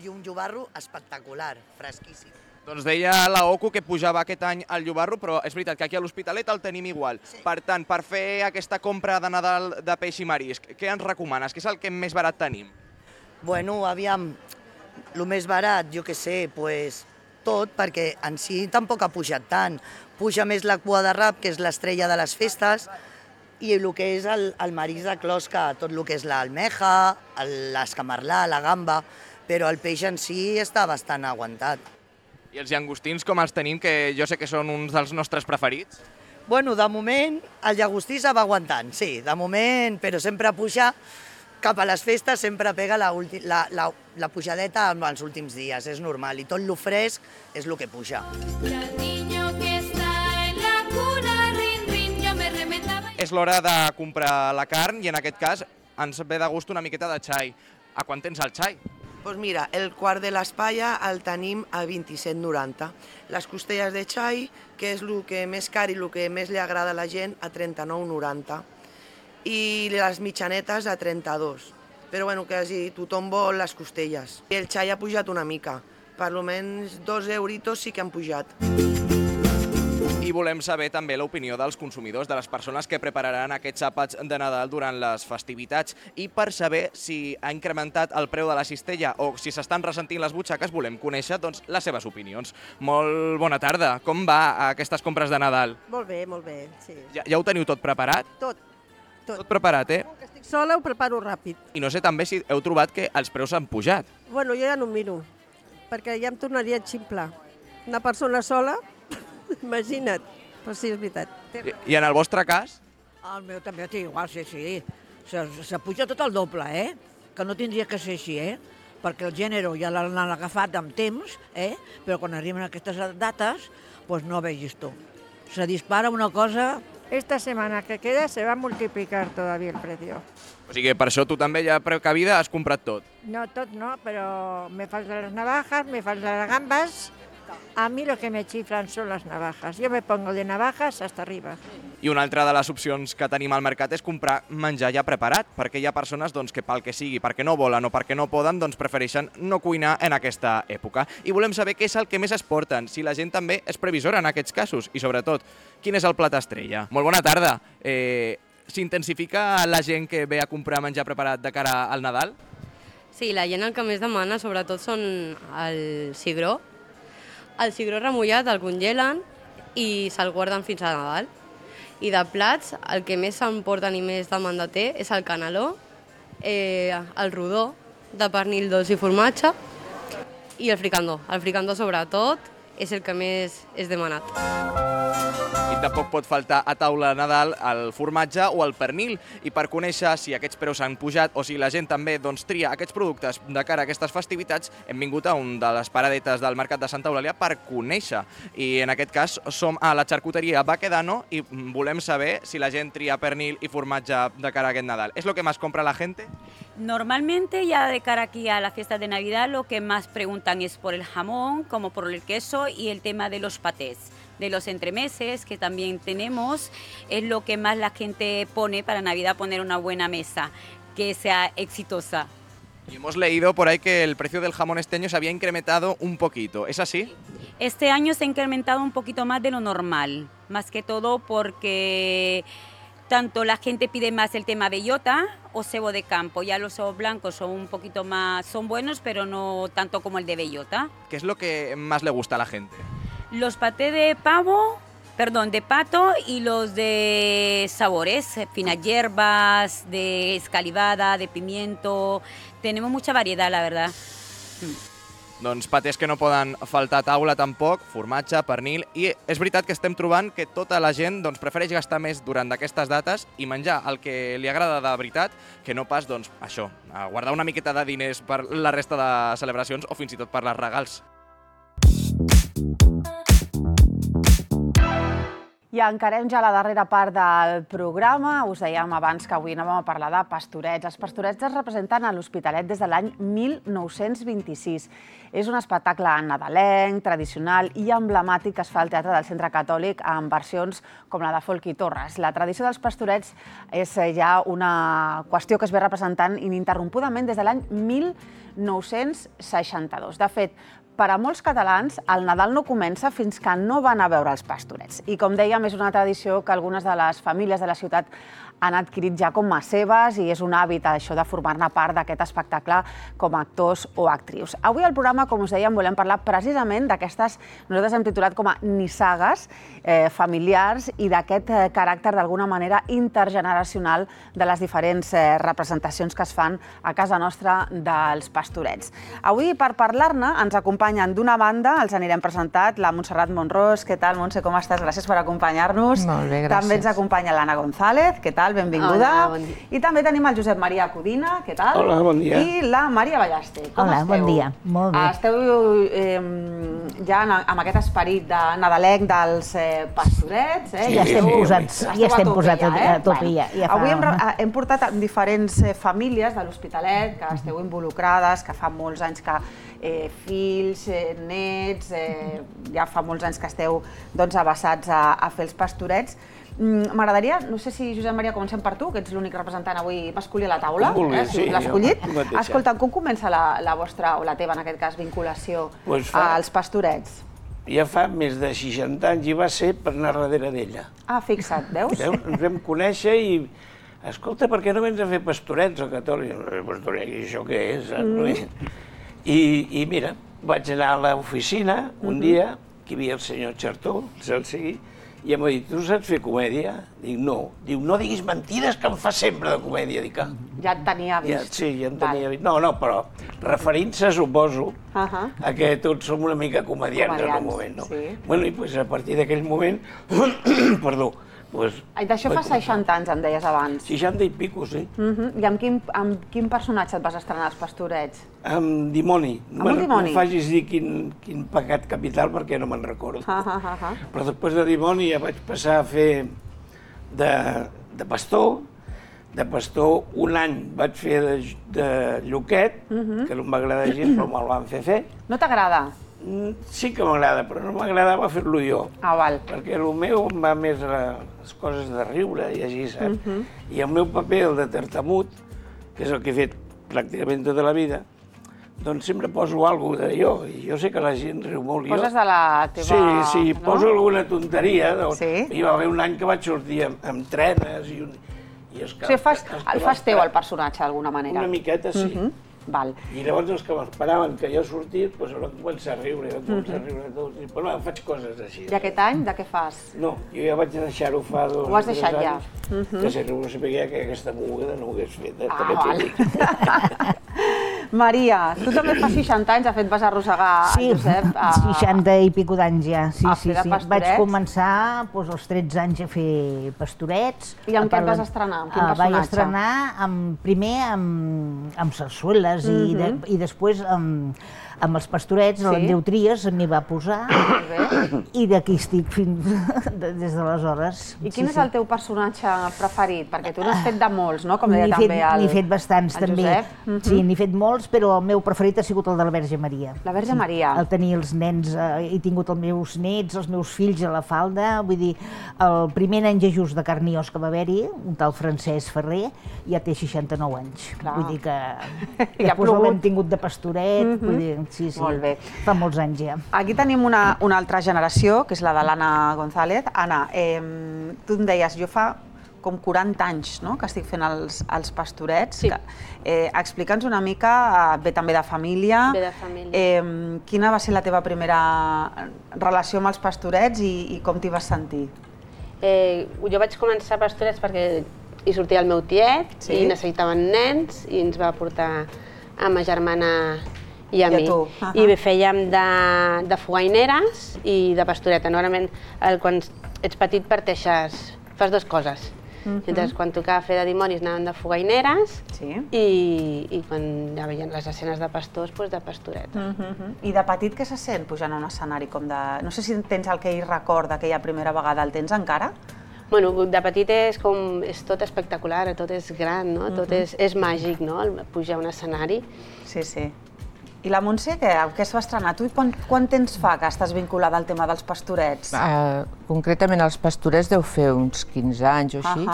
i un llobarro espectacular, fresquíssim. Doncs deia la Ocu que pujava aquest any el llobarro, però és veritat que aquí a l'Hospitalet el tenim igual. Sí. Per tant, per fer aquesta compra de Nadal de peix i marisc, què ens recomanes? Què és el que més barat tenim? Bueno, aviam, el més barat, jo què sé, pues, tot, perquè en si tampoc ha pujat tant. Puja més la cua de rap, que és l'estrella de les festes, i el que és el, el marisc de closca, tot el que és l'almeja, l'escamarlà, la gamba, però el peix en si està bastant aguantat. I els llagostins com els tenim, que jo sé que són uns dels nostres preferits? Bueno, de moment el llagostí se va aguantant, sí, de moment, però sempre puja cap a les festes, sempre pega la, la, la, la pujadeta als últims dies, és normal, i tot lo fresc és el que puja. És l'hora de comprar la carn i en aquest cas ens ve de gust una miqueta de xai. A quan tens el xai? Doncs mira, el quart de l'espalla el tenim a vint-i-set noranta. Les costelles de xai, que és el que més car i el que més li agrada a la gent, a trenta-nou noranta. I les mitjanetes a trenta-dos. Però bueno, quasi tothom vol les costelles. I el xai ha pujat una mica. Per almenys dos euritos sí que han pujat. I volem saber també l'opinió dels consumidors, de les persones que prepararan aquests àpats de Nadal durant les festivitats. I per saber si ha incrementat el preu de la cistella o si s'estan ressentint les butxaques, volem conèixer doncs, les seves opinions. Molt bona tarda. Com va aquestes compres de Nadal? Molt bé, molt bé, sí. Ja, ja ho teniu tot preparat? Tot, tot. Tot preparat, eh? Com que estic sola, ho preparo ràpid. I no sé també si heu trobat que els preus han pujat. Bueno, jo ja no ho miro, perquè ja em tornaria a ximplar. Una persona sola, imagina't. Però sí, és veritat. I, I en el vostre cas? El meu també té igual, sí, sí. Se, se puja tot el doble, eh? Que no tindria que ser així, eh? Perquè el gènere ja l'han agafat amb temps, eh? Però quan arriben aquestes dates, pues no vegis tu. Se dispara una cosa... Esta semana que queda se va a multiplicar todavía el precio. O sigui, per això tu també ja precavida has comprat tot. No, tot no, pero me faltan las navajas, me faltan las gambas. A mí lo que me chiflan son las navajas. Yo me pongo de navajas hasta arriba. I una altra de les opcions que tenim al mercat és comprar menjar ja preparat, perquè hi ha persones doncs, que pel que sigui, perquè no volen o perquè no poden, doncs prefereixen no cuinar en aquesta època. I volem saber què és el que més es porten, si la gent també és previsora en aquests casos i, sobretot, quin és el plat estrella. Molt bona tarda. Eh, S'intensifica la gent que ve a comprar menjar preparat de cara al Nadal? Sí, la gent el que més demana, sobretot, són el cigró. El cigró remullat el congelen i se'l guarden fins a Nadal. I de plats, el que més s'emporten i més demanda té és el caneló, eh, el rodó de pernil dolç i formatge i el fricandó. El fricandó, sobretot, és el que més és demanat. I tampoc pot faltar a taula de Nadal el formatge o el pernil. I per conèixer si aquests preus han pujat o si la gent també doncs, tria aquests productes de cara a aquestes festivitats, hem vingut a un de les paradetes del Mercat de Santa Eulàlia per conèixer. I en aquest cas som a la xarcuteria Baquedano i volem saber si la gent tria pernil i formatge de cara a aquest Nadal. ¿Es lo que más compra la gente? Normalmente ya de cara aquí a la fiesta de Navidad lo que más preguntan es por el jamón, como por el queso y el tema de los patés. De los entremeses que también tenemos, es lo que más la gente pone para Navidad, poner una buena mesa, que sea exitosa. Y hemos leído por ahí que el precio del jamón este año se había incrementado un poquito, ¿es así? Este año se ha incrementado un poquito más de lo normal, más que todo porque tanto la gente pide más el tema bellota o cebo de campo. Ya los cebos blancos son un poquito más, son buenos, pero no tanto como el de bellota. ¿Qué es lo que más le gusta a la gente? Los patés de pavo, perdón, de pato y los de sabores, finas hierbas, de escalivada, de pimiento. Tenemos mucha variedad, la verdad. Doncs patés que no poden faltar a taula tampoc, formatge, pernil, i és veritat que estem trobant que tota la gent doncs, prefereix gastar més durant aquestes dates i menjar el que li agrada de veritat que no pas, doncs, això, guardar una miqueta de diners per la resta de celebracions o fins i tot per les regals. I I encarem ja la darrera part del programa. Us dèiem abans que avui anàvem a parlar de pastorets. Els pastorets es representen a l'Hospitalet des de l'any mil nou-cents vint-i-sis. És un espectacle nadalenc, tradicional i emblemàtic que es fa al Teatre del Centre Catòlic en versions com la de Folchi Torres. La tradició dels pastorets és ja una qüestió que es ve representant ininterrompudament des de l'any mil nou-cents seixanta-dos. De fet, per a molts catalans, el Nadal no comença fins que no van a veure els pastorets. I com dèiem, és una tradició que algunes de les famílies de la ciutat han adquirit ja com a seves i és un hàbit això de formar-ne part d'aquest espectacle com a actors o actrius. Avui al programa, com us dèiem, volem parlar precisament d'aquestes, nosaltres hem titulat com a nissagues eh, familiars i d'aquest eh, caràcter d'alguna manera intergeneracional de les diferents eh, representacions que es fan a casa nostra dels pastorets. Avui, per parlar-ne, ens acompanyen d'una banda, els anirem presentat, la Montserrat Monrós. Què tal, Montse, com estàs? Gràcies per acompanyar-nos. Molt bé, gràcies. També ens acompanya l'Anna González. Què tal? Benvinguda. Hola, bon dia. I també tenim el Josep Maria Codina. Què tal? Hola, bon dia. I la Maria Ballaste. Com Hola, esteu? bon dia. Molt bé. Esteu eh, ja amb aquest esperit de nadalenc dels eh, pastorets. Eh? Sí, ja estem posats, ja estem posats a tope ja. Avui hem, hem portat diferents famílies de l'Hospitalet que esteu involucrades, que fa molts anys que eh, fills, eh, nets, eh, ja fa molts anys que esteu doncs, abassats a, a fer els pastorets. M'agradaria, no sé si, Josep Maria, comencem per tu, que ets l'únic representant avui masculí a la taula, vulgui, eh, si sí, l'has escollit. jo mateixa. Escolta, com comença la, la vostra, o la teva, en aquest cas, vinculació Pues fa- als pastorets? Ja fa més de seixanta anys i va ser per anar darrere d'ella. Ah, fixa't, veus? Veus? Ens vam conèixer i... Escolta, per què no vens a fer pastorets a Catòlic? Pastoret, i això què és? Mm. I, I mira, vaig anar a l'oficina un dia, que hi havia el senyor Xartó, el sigui, i em va dir, tu saps fer comèdia? Dic, no. Diu, no diguis mentides, que em fa sempre de comèdia. Dic, ah. Ja et tenia Ja, vist. sí, ja em tenia vist. No, no, però referint-se, suposo, Uh-huh. a que tots som una mica comedians, en un Comedians, moment, no? sí. Bueno, i pues, a partir d'aquell moment, perdó, pues, Ai, d'això fa seixanta anys, em deies abans. seixanta i pico, sí. Uh-huh. I amb quin, amb quin personatge et vas estrenar als pastorets? Amb dimoni. Amb un dimoni? No em facis dir quin, quin pecat capital perquè no me'n recordo. Uh -huh. Però després de dimoni ja vaig passar a fer de, de pastor. De pastor un any vaig fer de, de lloquet, Mhm. que no m'agrada gens, però me'l van fer fer. No t'agrada? Mm, Sí que m'agrada, però no m'agradava fer-lo jo. Ah, val. Perquè el meu em va més a les coses de riure i així, saps? Mhm. I el meu paper, el de tartamut, que és el que he fet pràcticament tota la vida, doncs sempre poso alguna de jo, i jo sé que la gent riu molt. i jo- Poses de la teva... Sí, sí, no? poso alguna tonteria. Doncs, Sí? Hi va haver un any que vaig sortir amb, amb trenes i, un, i els que... O sigui, fas, els que el fas teu, m'esperaven- el personatge, d'alguna manera. Una miqueta, sí. Mhm. Val. I llavors els que m'esperaven que jo sortís, doncs van començar a riure, van començar a riure tots, i bueno, faig coses així. I aquest any, de què fas? No, jo ja vaig deixar-ho fa dos Ho has o tres deixat ja? anys, Mhm. que si no sabia que aquesta moguda no ho hagués fet. Eh? Ah, també t'ho val. dic. Maria, tu també fas seixanta anys, de fet vas arrossegar Sí, el Josep a... seixanta i pico d'anys ja. Sí, a sí, fer de sí. pastorets. Vaig començar doncs, als tretze anys a fer pastorets. I amb què et A vas parla- estrenar? Amb quin Ah, Vaig personatge? estrenar amb, primer amb, amb sarsueles i, de, Mhm. i després amb, amb els pastorets, Sí. l'Andreu Trias m'hi va posar i d'aquí estic fins de, des d'aleshores. I quin Sí, és sí. el teu personatge preferit? Perquè tu n'has fet de molts, no? Com deia N'he també fet, el, n'he fet bastants, el també. Josep. Mhm. Sí, n'he fet molts, però el meu preferit ha sigut el de la Verge Maria. La Verge Maria. El tenir els nens, eh, he tingut els meus nets, els meus fills a la falda, vull dir, el primer nen Jesús de carn i os que va haver-hi, un tal Francesc Ferrer, ja té seixanta-nou anys. Clar. Vull dir que Ja ha després plogut. l'hem tingut de pastoret, Mhm. vull dir, sí, sí, Molt bé. fa molts anys ja. Aquí tenim una, una altra generació, que és la de l'Anna González. Anna, eh, tu em deies, jo fa com quaranta anys, no?, que estic fent els, els pastorets. Sí. Que, eh, Explica'ns una mica, eh, ve també de família, Ve de família. Eh, quina va ser la teva primera relació amb els pastorets i, i com t'hi vas sentir? Eh, jo vaig començar a pastorets perquè hi sortia el meu tiet Sí? i necessitaven nens i ens va portar a ma germana i a I a mi. tu. Ahà. I fèiem de, de fogaineres i de pastoreta. Normalment, el, quan ets petit parteixes, fas dues coses. Llavors, quan tocava fer de dimonis anaven de fogaineres i quan ja veien les escenes de pastors, doncs de pastoreta. I de petit què se sent pujant a un escenari com de... No sé si tens el que ell recorda aquella primera vegada, el tens encara? Bueno, de petit és com... és tot espectacular, tot és gran, no? Tot és màgic, no? Pujar a un escenari. Sí, sí. I la Montse, què es va estrenar? Tu quan temps fa que estàs vinculada al tema dels pastorets? Concretament els pastorets deu fer uns quinze anys o així.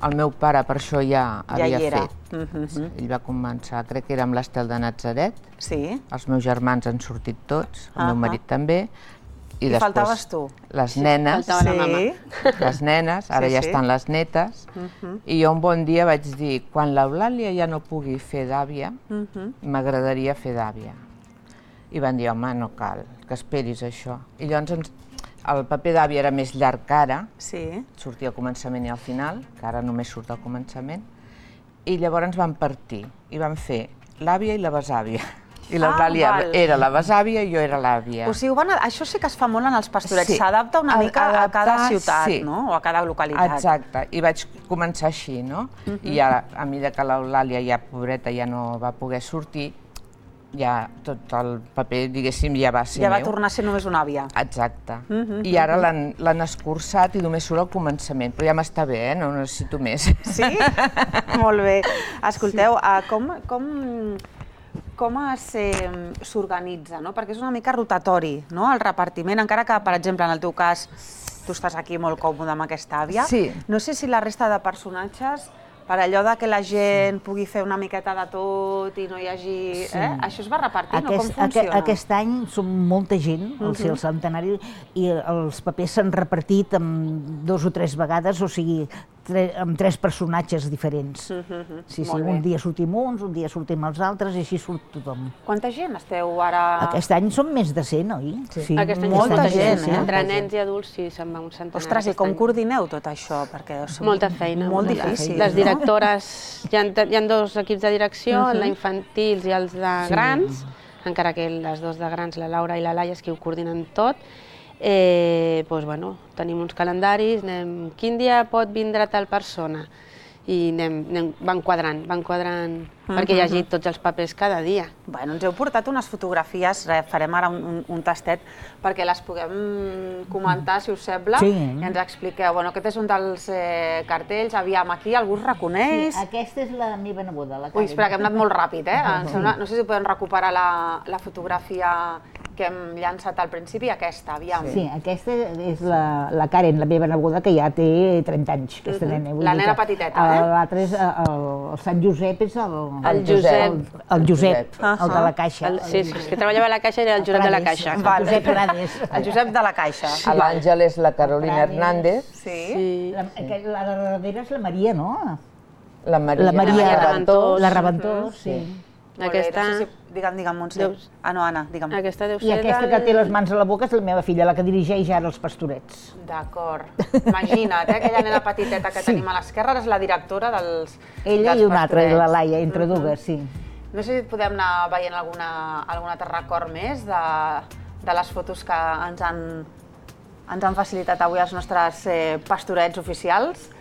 El meu pare per això ja havia fet. Ell va començar, crec que era amb l'Estel de Natzaret. Sí. Els meus germans han sortit tots, el meu marit també. I faltaves tu. Les nenes. Faltava la mama. Les nenes, ara ja estan les netes. I jo un bon dia vaig dir, quan l'Eulàlia ja no pugui fer d'àvia, m'agradaria fer d'àvia. I van dir, home, no cal, que esperis això. I llavors el paper d'àvia era més llarg que ara, sortia al començament i al final, que ara només surt al començament, i llavors van partir i van fer l'àvia i la besàvia. I l'Eulàlia era la besàvia i jo era l'àvia. O sigui, això sí que es fa molt en els pastorets, s'adapta una mica a cada ciutat, no? O a cada localitat. Exacte, i vaig començar així, no? I ara, a mesura que l'Eulàlia ja, pobreta, ja no va poder sortir, ja tot el paper, diguéssim, ja va ser meu. Ja va tornar a ser només una àvia. Exacte. I ara l'han escurçat i només surt al començament, però ja m'està bé, eh? No necessito més. Sí? Molt bé. Escolteu, com... com s'organitza, no? Perquè és una mica rotatori, no?, el repartiment, encara que, per exemple, en el teu cas, tu estàs aquí molt còmode amb aquesta àvia. Sí. No sé si la resta de personatges, per allò que la gent pugui fer una miqueta de tot i no hi hagi... Això es va repartint o com funciona? Aquest any som molta gent, al ser el centenari, i els papers s'han repartit dos o tres vegades, o sigui, amb tres personatges diferents. Sí, sí, un dia sortim uns, un dia sortim els altres, i així surt tothom. Quanta gent esteu ara...? Aquest any som més de cent, oi? Sí, molta gent, eh? Entre nens i adults, sí, se'n va un centenar. Ostres, i com coordineu tot això? Molta feina. Molt difícil. Les directores, hi ha dos equips de direcció, els d'infantils i els de grans, encara que les dos de grans, la Laura i la Laia, és qui ho coordinen tot. Doncs, bueno, tenim uns calendaris, anem, quin dia pot vindre tal persona? I anem, van quadrant, van quadrant, perquè hi hagi tots els papers cada dia. Bueno, ens heu portat unes fotografies, farem ara un tastet, perquè les puguem comentar, si us sembla, i ens expliqueu. Bueno, aquest és un dels cartells, aviam, aquí algú es reconeix? Sí, aquesta és la meva neboda, la Karen. Ui, espera, que hem anat molt ràpid, eh? No sé si podem recuperar la fotografia que hem llançat al principi, aquesta, aviam. Sí, aquesta és la Karen, la meva neboda, que ja té trenta anys, aquesta nena. La nena petiteta, eh? L'altre és el Sant Josep, és el... El Josep. El Josep, el de la Caixa. Sí, és que treballava a la Caixa i era el Josep de la Caixa. El Josep Prades. El Josep de la Caixa. L'Àngel és la Carolina Hernández. Sí. La darrera és la Maria, no? La Maria Reventós. La Reventós, sí. Aquesta... Digue'm, digue'm, Montse. Ah, no, Anna, digue'm. Aquesta deu ser I aquesta que té les mans a la boca és la meva filla, la que dirigeix ara els pastorets. D'acord. Imagina't, aquella nena petiteta que tenim a l'esquerra és la directora dels pastorets. Ella i una altra, la Laia, entre dues, sí. No sé si podem anar veient algun altre record més de les fotos que ens han facilitat avui els nostres pastorets oficials.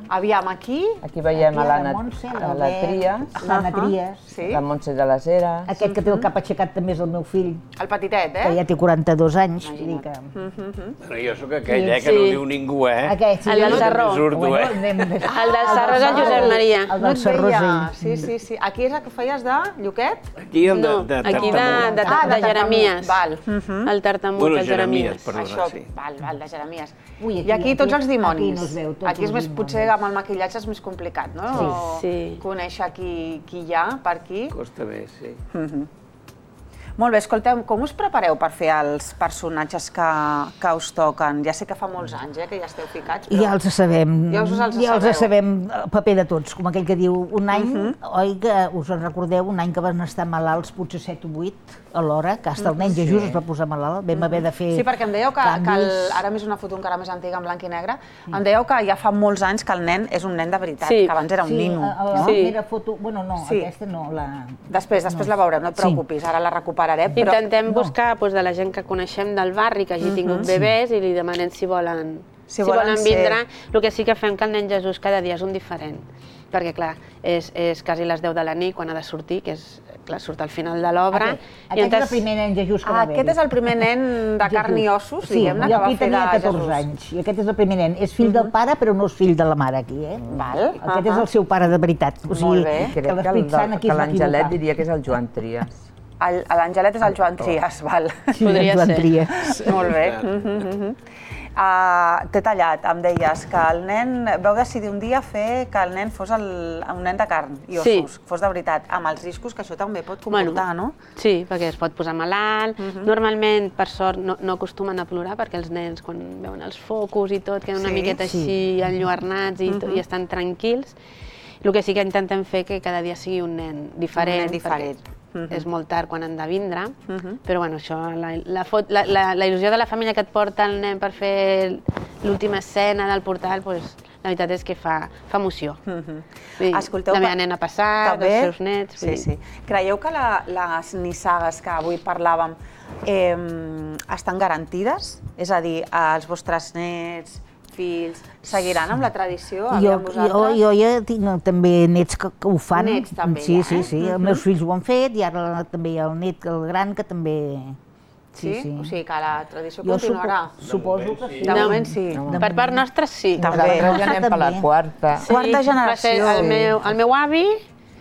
Aviam, aquí... Aquí veiem a l'Anna Trias, l'Anna Trias, la Montse de les Heres... Aquest que té el cap aixecat també és el meu fill. El petitet, eh? Que ja té quaranta-dos anys. Bueno, jo sóc aquell, eh, que no diu ningú, eh? El del Sarró. El del Sarró és el Josep Maria. El del Sarró, sí. Sí, sí. Aquí és el que feies de Lluquet? Aquí el de Aquí de Jeremies. Val. El tartamut, el Jeremies. Això, val, val, de Jeremies. I aquí tots els dimonis. Aquí és més, potser amb el maquillatge és més complicat, no? Sí. Conèixer qui hi ha per aquí. Costa més, sí. Molt bé, escolteu, com us prepareu per fer els personatges que us toquen? Ja sé que fa molts anys que ja esteu ficats, però... Ja els sabem, ja els sabem el paper de tots, com aquell que diu, un any, oi que us en recordeu, un any que van estar malalts, potser set o vuit, alhora, que fins el nen Jesús es va posar malalt, vam haver de fer canvis. Sí, perquè em dèieu que, ara més una foto encara més antiga, en blanc i negre, em dèieu que ja fa molts anys que el nen és un nen de veritat, que abans era un nino. Sí, la primera foto, bueno, no, aquesta no, la... Després, després la veurem, no et preocupis, ara la recuperarem. Intentem buscar de la gent que coneixem del barri, que hagi tingut bebès, i li demanem si volen si volen vindre. El que sí que fem que el nen Jesús cada dia és un diferent, perquè clar, és quasi les deu de la nit quan ha de sortir, que és, clar, surt al final de l'obra. Aquest és el primer nen Jesús que va haver-hi. Aquest és el primer nen de carn i ossos, diguem-ne, que va fer de Jesús. Sí, jo aquí tenia catorze anys, i aquest és el primer nen. És fill del pare, però no és fill de la mare aquí, eh? Aquest és el seu pare de veritat. Molt bé. Crec que l'Angelet diria que és el Joan Trias. L'Angelet és el Joan Trias, val. Podria ser. Molt bé. T'he tallat, em deies que el nen, vau decidir un dia fer que el nen fos un nen de carn i ossos, fos de veritat, amb els riscos que això també pot comportar, no? Sí, perquè es pot posar malalt. Normalment, per sort, no acostumen a plorar perquè els nens, quan veuen els focus i tot, queden una miqueta així enlluernats i estan tranquils. El que sí que intentem fer que cada dia sigui un nen diferent. Un nen diferent. És molt tard quan han de vindre, però bueno, això, la il·lusió de la família que et porta el nen per fer l'última escena del portal, la veritat és que fa emoció. La meva nena passat, els seus nets... Sí, sí. Creieu que les nissagues que avui parlàvem estan garantides? És a dir, els vostres nets, fills, seguiran amb la tradició? Jo ja tinc també nets que ho fan. Nets també, ja, eh? Sí, sí, sí. Els meus fills ho han fet i ara també hi ha el net, el gran, que també... Sí? O sigui que la tradició continuarà? Suposo que sí. De moment sí. Per part nostra sí. També. Ja anem per la quarta. Quarta generació. El meu avi,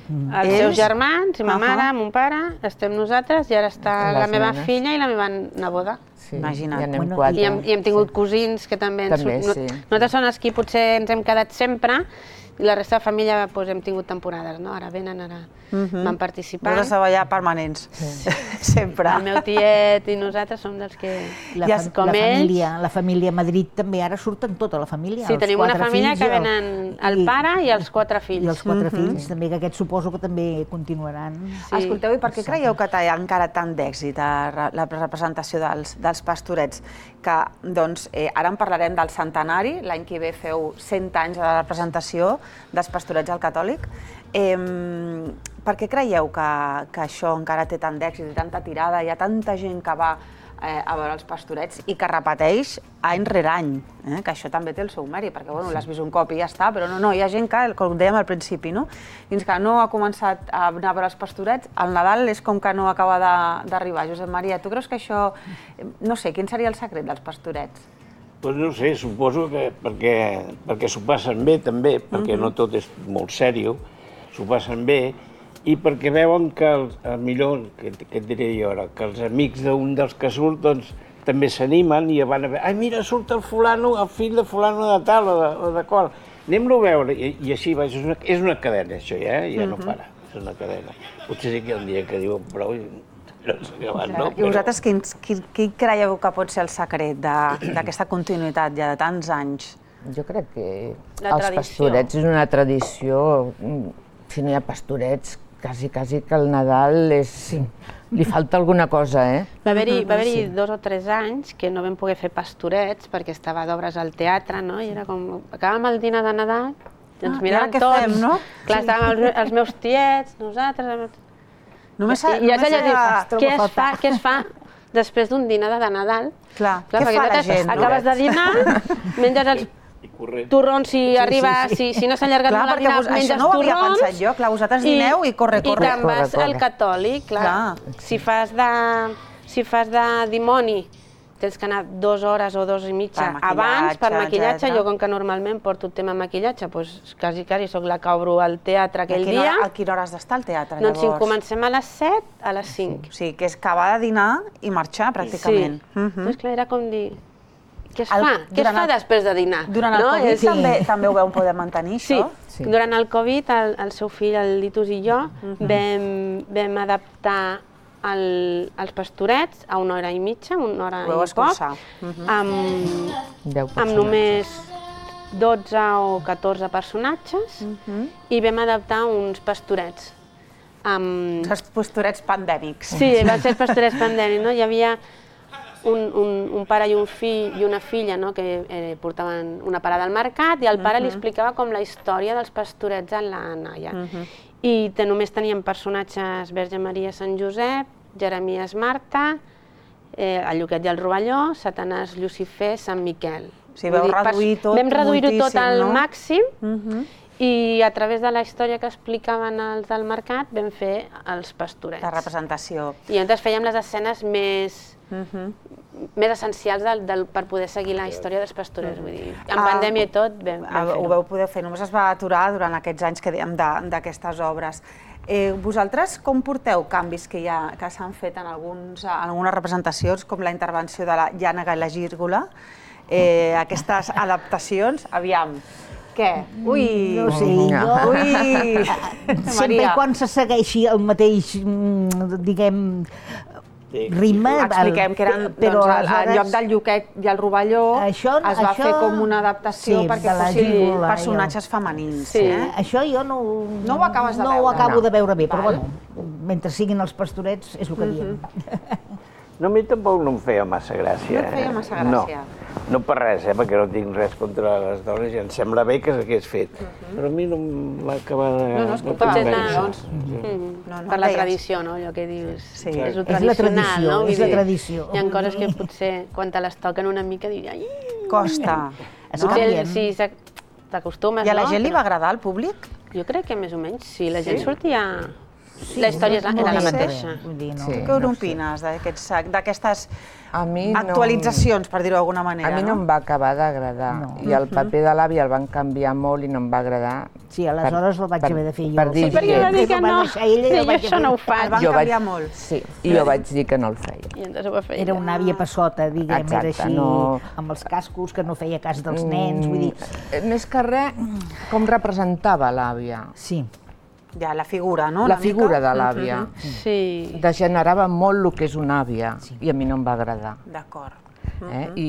els seus germans, i ma mare, mon pare, estem nosaltres, i ara està la meva filla i la meva neboda. Imagina't. I hem tingut cosins que també... Nosaltres som els que potser ens hem quedat sempre, i la resta de família hem tingut temporades, no? Ara venen, ara van participant. Vols estar allà permanents, sempre. El meu tiet i nosaltres som dels que, com ells... La família a Madrid també, ara surten tota la família. Sí, tenim una família que venen el pare i els quatre fills. I els quatre fills, també, que aquests suposo que també continuaran. Escolteu, i per què creieu que té encara tant d'èxit la representació dels Pastorets? Que, doncs, ara en parlarem del centenari, l'any que ve feu cent anys de la representació dels Pastorets al Catòlic. Per què creieu que això encara té tant d'èxit i tanta tirada? Hi ha tanta gent que va a veure els Pastorets i que repeteix any rere any, que això també té el seu mèrit, perquè l'has vist un cop i ja està, però no, hi ha gent que, com dèiem al principi, fins que no ha començat a anar a veure els Pastorets, el Nadal és com que no acaba d'arribar. Josep Maria, tu creus que això... No sé, quin seria el secret dels Pastorets? Doncs no sé, suposo que perquè s'ho passen bé també, perquè no tot és molt sèrio, s'ho passen bé, i perquè veuen que, millor, què et diré jo ara, que els amics d'un dels que surt, doncs, també s'animen i van a veure, ai, mira, surt el fulano, el fill de fulano de tal o de qual, anem-lo a veure, i així, és una cadena, això ja, ja no para, és una cadena. Potser sí que hi ha un dia que diuen prou i no s'ha acabat, no? I vosaltres, quin creieu que pot ser el secret d'aquesta continuïtat ja de tants anys? Jo crec que els Pastorets és una tradició, si no hi ha Pastorets, quasi, quasi que el Nadal és... li falta alguna cosa, eh? Va haver-hi dos o tres anys que no vam poder fer Pastorets perquè estava d'obres al teatre, no? I era com... Acabàvem el dinar de Nadal i ens miràvem tots. Clar, estàvem els meus tiets, nosaltres... I és allò de dir, què es fa després d'un dinar de Nadal? Clar, què fa la gent? Acabes de dinar, menges els torrons si arriba, si no s'ha allargat molt el dinar, menges torrons... Això no ho havia pensat jo, clar, vosaltres dineu i corre, corre. I te'n vas al catòlic, clar. Si fas de dimoni, tens que anar dues hores o dues i mitja abans per maquillatge. Jo, com que normalment porto el tema maquillatge, doncs quasi, quasi soc la que obro el teatre aquell dia. A quina hora has d'estar al teatre, llavors? Doncs si comencem a les set, a les cinc. O sigui, que és acabar de dinar i marxar, pràcticament. Sí. Doncs clar, era com dir... Què es fa? Què es fa després de dinar? Durant el Covid també ho vau poder mantenir, això? Sí. Durant el Covid, el seu fill, el Litus i jo, vam adaptar els Pastorets a una hora i mitja, una hora i poc, amb només dotze o catorze personatges, i vam adaptar uns Pastorets. Els Pastorets pandèmics. Sí, van ser els Pastorets pandèmics, no? Hi havia un pare i un fill i una filla que portaven una parada al mercat i el pare li explicava com la història dels Pastorets a la noia. I només teníem personatges Verge Maria, Sant Josep, Jeremies, Marta, el Lluquet i el Rovelló, Satanàs, Llucifer, Sant Miquel. O sigui, vau reduir tot Vam reduir-ho tot moltíssim, al no? màxim i a través de la història que explicaven els del mercat vam fer els pastorets. La representació. I llavors fèiem les escenes més... més essencials del, del, per poder seguir la història dels pastorets. Vull dir, en pandèmia i tot vam, vam fer-ho. Ho vau poder fer, només es va aturar durant aquests anys que dèiem d'aquestes obres. Eh, vosaltres com porteu canvis que, hi ha, que s'han fet en, alguns, en algunes representacions, com la intervenció de la Llànega i la Gírgola, eh, aquestes adaptacions, aviam, què? Ui! No sé, jo... Ui! Sempre i quan se segueixi el mateix, diguem, ritme... Expliquem que eren, però doncs, al lloc del Lluquet i el Rovelló això, es va això, fer com una adaptació sí, perquè fossin Gírgola, personatges jo. femenins. Sí. Eh? Això jo no, no ho acabes de no veure. ho acabo no. de veure bé, però Val. bueno, mentre siguin els pastorets és el que diem. No, a mi tampoc no em feia massa gràcia. No et feia massa gràcia? No, no per res, eh, perquè no tinc res contra les dones i em sembla bé que s'hagués fet. Però a mi no em va acabar de... No, no, escolta, no potser convèncer. doncs, mm, no, no, per la tradició, no? Allò que dius, Sí. és lo És la tradicional, tradició, no? Vull és la dir, tradició. Hi ha coses que potser, quan te les toquen una mica, dius, ai... Costa. Es canvien. Sí, t'acostumes, no? I a la gent li va agradar al públic? Jo crec que més o menys, sí. La gent Sí? sortia... La història era la mateixa. Què n'opines d'aquestes mi actualitzacions, per dir-ho d'alguna manera? A mi no em va acabar d'agradar. I el paper de l'àvia el van canviar molt i no em va agradar. Sí, aleshores el vaig haver de fer jo. Per dir Sí, perquè va dir que no. Sí, jo això no ho faig. El van canviar molt. Sí, i jo vaig dir que no el feia. I entonces ho va fer Era una àvia passota, diguem, era Exacte, així, no- amb els cascos, que no feia cas dels nens, vull dir... Més que res, com representava l'àvia. Sí. Ja, la figura, no? La figura de l'àvia. Sí. Degenerava molt el que és una àvia i a mi no em va agradar. D'acord. Eh? I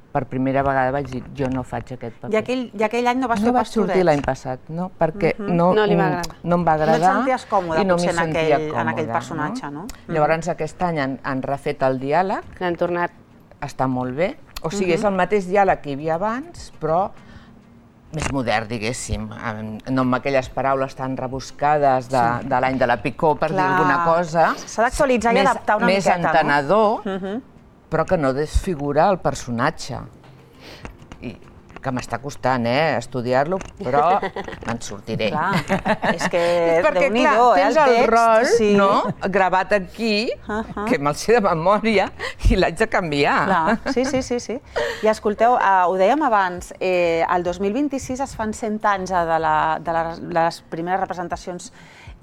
per primera vegada vaig dir, jo no faig aquest paper. I aquell, i aquell any no vas no fer vaig sortir pastorets? l'any passat, no? Perquè Mhm. no, No li va agradar. no em va agradar No et senties còmode, i no potser, m'hi en sentia aquell- en aquell còmoda, personatge, no? Llavors aquest any han, han refet el diàleg. L'han tornat. Està molt bé. O sigui, Mhm. és el mateix diàleg que hi havia abans, però més modern, diguéssim, no amb aquelles paraules tan rebuscades de, de l'any de la Picó, per dir Clar. alguna cosa. S'ha d'actualitzar i Més- adaptar una més miqueta, no? entenedor, Mhm. però que no desfigura el personatge. I que m'està costant, eh, estudiar-lo, però me'n sortiré. Clar, és que Perquè, clar, Déu-n'hi-do, eh, tens el el text, rol, sí. no?, gravat aquí, que me'l sé de memòria, i l'haig de canviar. Clar, sí, sí, sí, sí. I escolteu, eh, ho dèiem abans, eh, el dos mil vint-i-sis es fan cent anys de, la, de, la, de les primeres representacions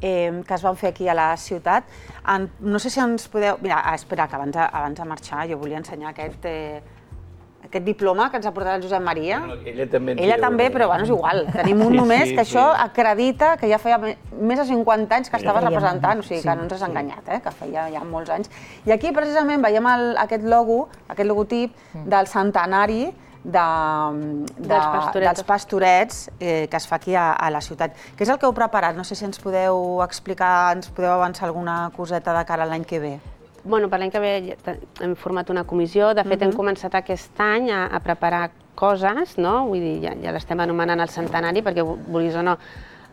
eh, que es van fer aquí a la ciutat. En, no sé si ens podeu... Mira, ah, espera, que abans, abans de marxar jo volia ensenyar aquest... Eh, aquest diploma que ens ha portat el Josep Maria. No, ella també en Ella té també, un. però bueno, és igual. Tenim un Sí, només sí, que sí. això acredita que ja feia me- més de cinquanta anys que estaves feia- representant, o sigui que sí, no ens has enganyat, eh? Que feia ja molts anys. I aquí precisament veiem el, aquest logo, aquest logotip del centenari de, de, Dels pastorets. dels pastorets eh, que es fa aquí a, a la ciutat. Què és el que heu preparat? No sé si ens podeu explicar, ens podeu avançar alguna coseta de cara a l'any que ve. Bueno, per l'any que ve ja te- hem format una comissió. De fet, hem Mhm. començat aquest any a, a preparar coses, no? Vull dir, ja, ja l'estem anomenant el centenari, perquè, vulguis o no,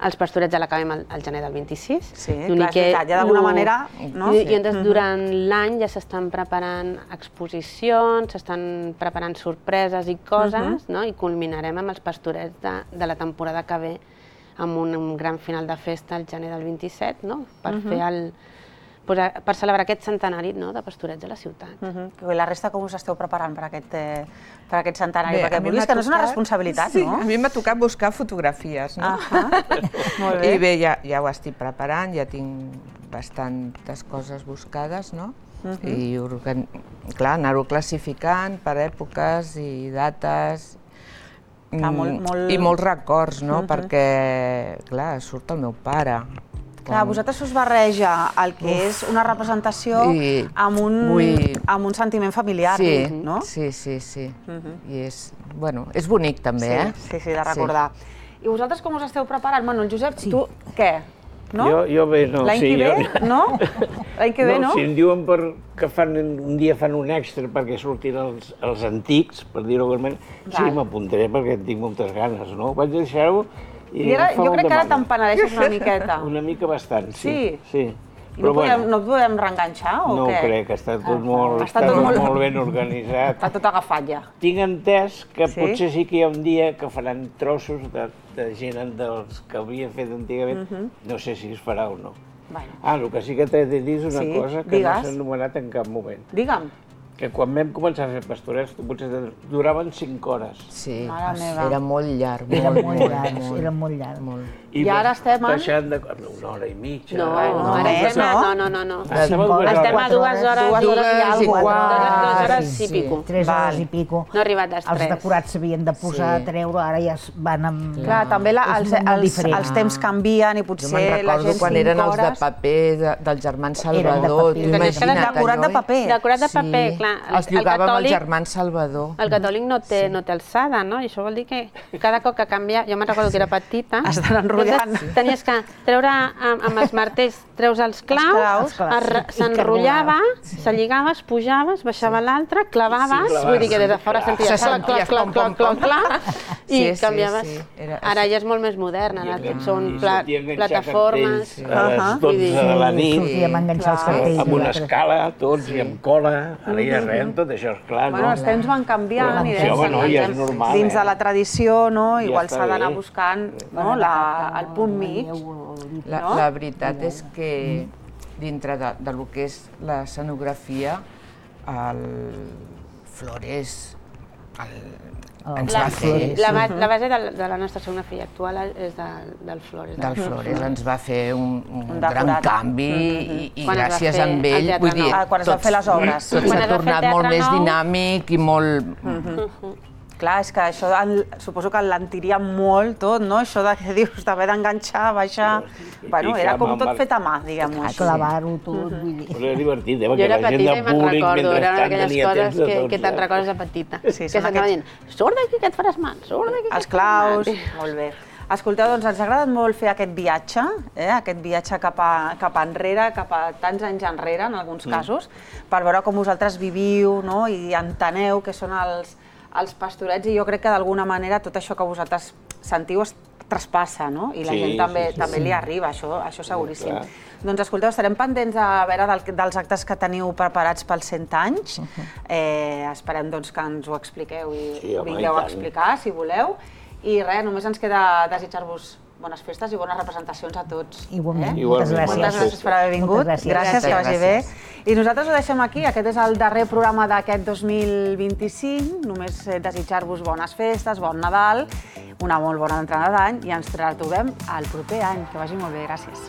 els pastorets ja l'acabem al, al gener del vint-i-sis. Sí, clar, és veritat, ja d'alguna manera, no? I, Sí. i llavors, Mhm. durant l'any ja s'estan preparant exposicions, s'estan preparant sorpreses i coses, Mhm. no? I culminarem amb els pastorets de, de la temporada que ve, amb un, un gran final de festa al gener del vint-i-set, no? Per Mhm. fer el... pues, a- per celebrar aquest centenari, no?, de pastorets a la ciutat. Uh-huh. I la resta com us esteu preparant per aquest, eh, per aquest centenari? Bé, Perquè a mi vulguis m'ha que no és una tocat- responsabilitat, sí, no? a mi m'ha tocat buscar fotografies, no? Ahà. Molt bé. I bé, ja, ja ho estic preparant, ja tinc bastantes coses buscades, no? Mhm. I, organ... clar, anar-ho classificant per èpoques i dates. Clar, molt- Mm, molt- I molts records, no? Mhm. Perquè, clar, surt el meu pare. Clar, a vosaltres us barreja el que Uf. és una representació I amb un, vull- amb un sentiment familiar, Sí, no? sí, sí, sí. Mhm. I és, bueno, és bonic també, sí, eh? Sí, sí, de recordar. I vosaltres com us esteu preparant? Bueno, el Josep, sí. tu què? No? Jo, jo bé, no. L'any sí, que ve, jo... no? L'any que ve, no? Si em diuen per, que fan, un dia fan un extra perquè surtin els, els antics, per dir-ho d'alguna manera, sí, Val. m'apuntaré perquè en tinc moltes ganes, no? Vaig deixar-ho i, I ara, em fa jo molt crec de que ara mandra. te'n penedeixes una miqueta. Una mica bastant, sí. Sí? sí. I no podem reenganxar o què? No ho crec, està tot molt ben organitzat. Està tot agafat ja. Tinc entès que potser sí que hi ha un dia que faran trossos de gent dels que havia fet antigament. No sé si es farà o no. Ah, el que sí que t'he de dir és una cosa que no s'ha anomenat en cap moment. Digue'm. Que quan vam començar a fer pastorets potser duraven cinc hores. Sí, era molt llarg. Era molt llarg, era molt llarg. I ara estem en... Deixant de... una hora i mitja. No, ara estem a... No, no, no. Estem a dues hores i dues hores i pico. Tres hores i pico. No ha arribat a les tres. Els decorats s'havien de posar a treure, ara ja van amb... Clar, també els temps canvien i potser la gent cinc hores... Jo me'n recordo quan eren els de paper del germán Salvador. Decorat de paper. Decorat de paper, clar. Els llogàvem al germán Salvador. El catòlic no té alçada, no? I això vol dir que cada cop que canvia... Jo me'n recordo que era petita. Estan enrotllant. Tenies que treure amb els martells, treus els claus, s'enrotllava, se lligaves, pujaves, baixava l'altre, clavaves, vull dir que des de fora senties clac, clac, clac, clac, clac, clac, i canviaves. Ara ja és molt més modern, ara són plataformes. A les dotze de la nit, sortíem a enganxar els cartells. amb una escala, tots, i amb cola, ara ja res, tot això és clar, no? Els temps van canviant i dins de la tradició igual s'ha d'anar buscant el punt mig. La veritat és que dintre del que és l'escenografia, el Flores ens va fer... La base de la nostra escenografia actual és del Flores. Del Flores ens va fer un gran canvi i gràcies a ell, vull dir, tot s'ha tornat molt més dinàmic i molt... Clar, és que això suposo que l'entiria molt tot, no? Això de que dius d'haver d'enganxar, baixar... Bueno, era com tot fet a mà, diguem-ho. Clavar-ho tot, vull dir. Però era divertit, eh? Jo era petita i me'n recordo, eren aquelles coses que te'n recordes de petita. Que s'anava dient, surt d'aquí que et faràs mal, surt d'aquí que et faràs mal. Els claus, molt bé. Escolteu, doncs ens ha agradat molt fer aquest viatge, aquest viatge cap enrere, cap a tants anys enrere, en alguns casos, per veure com vosaltres viviu i enteneu què són els els pastorets, i jo crec que d'alguna manera tot això que vosaltres sentiu es traspassa, no? I la gent també li arriba, això seguríssim. Doncs escolteu, estarem pendents a veure dels actes que teniu preparats pels cent anys. Esperem que ens ho expliqueu i vingueu a explicar, si voleu. I res, només ens queda desitjar-vos bones festes i bones representacions a tots. Igualment. Moltes gràcies per haver vingut. Gràcies, que vagi bé. I nosaltres ho deixem aquí. Aquest és el darrer programa d'aquest dos mil vint-i-cinc. Només desitjar-vos bones festes, bon Nadal, una molt bona entrada d'any i ens retrobem el proper any. Que vagi molt bé. Gràcies.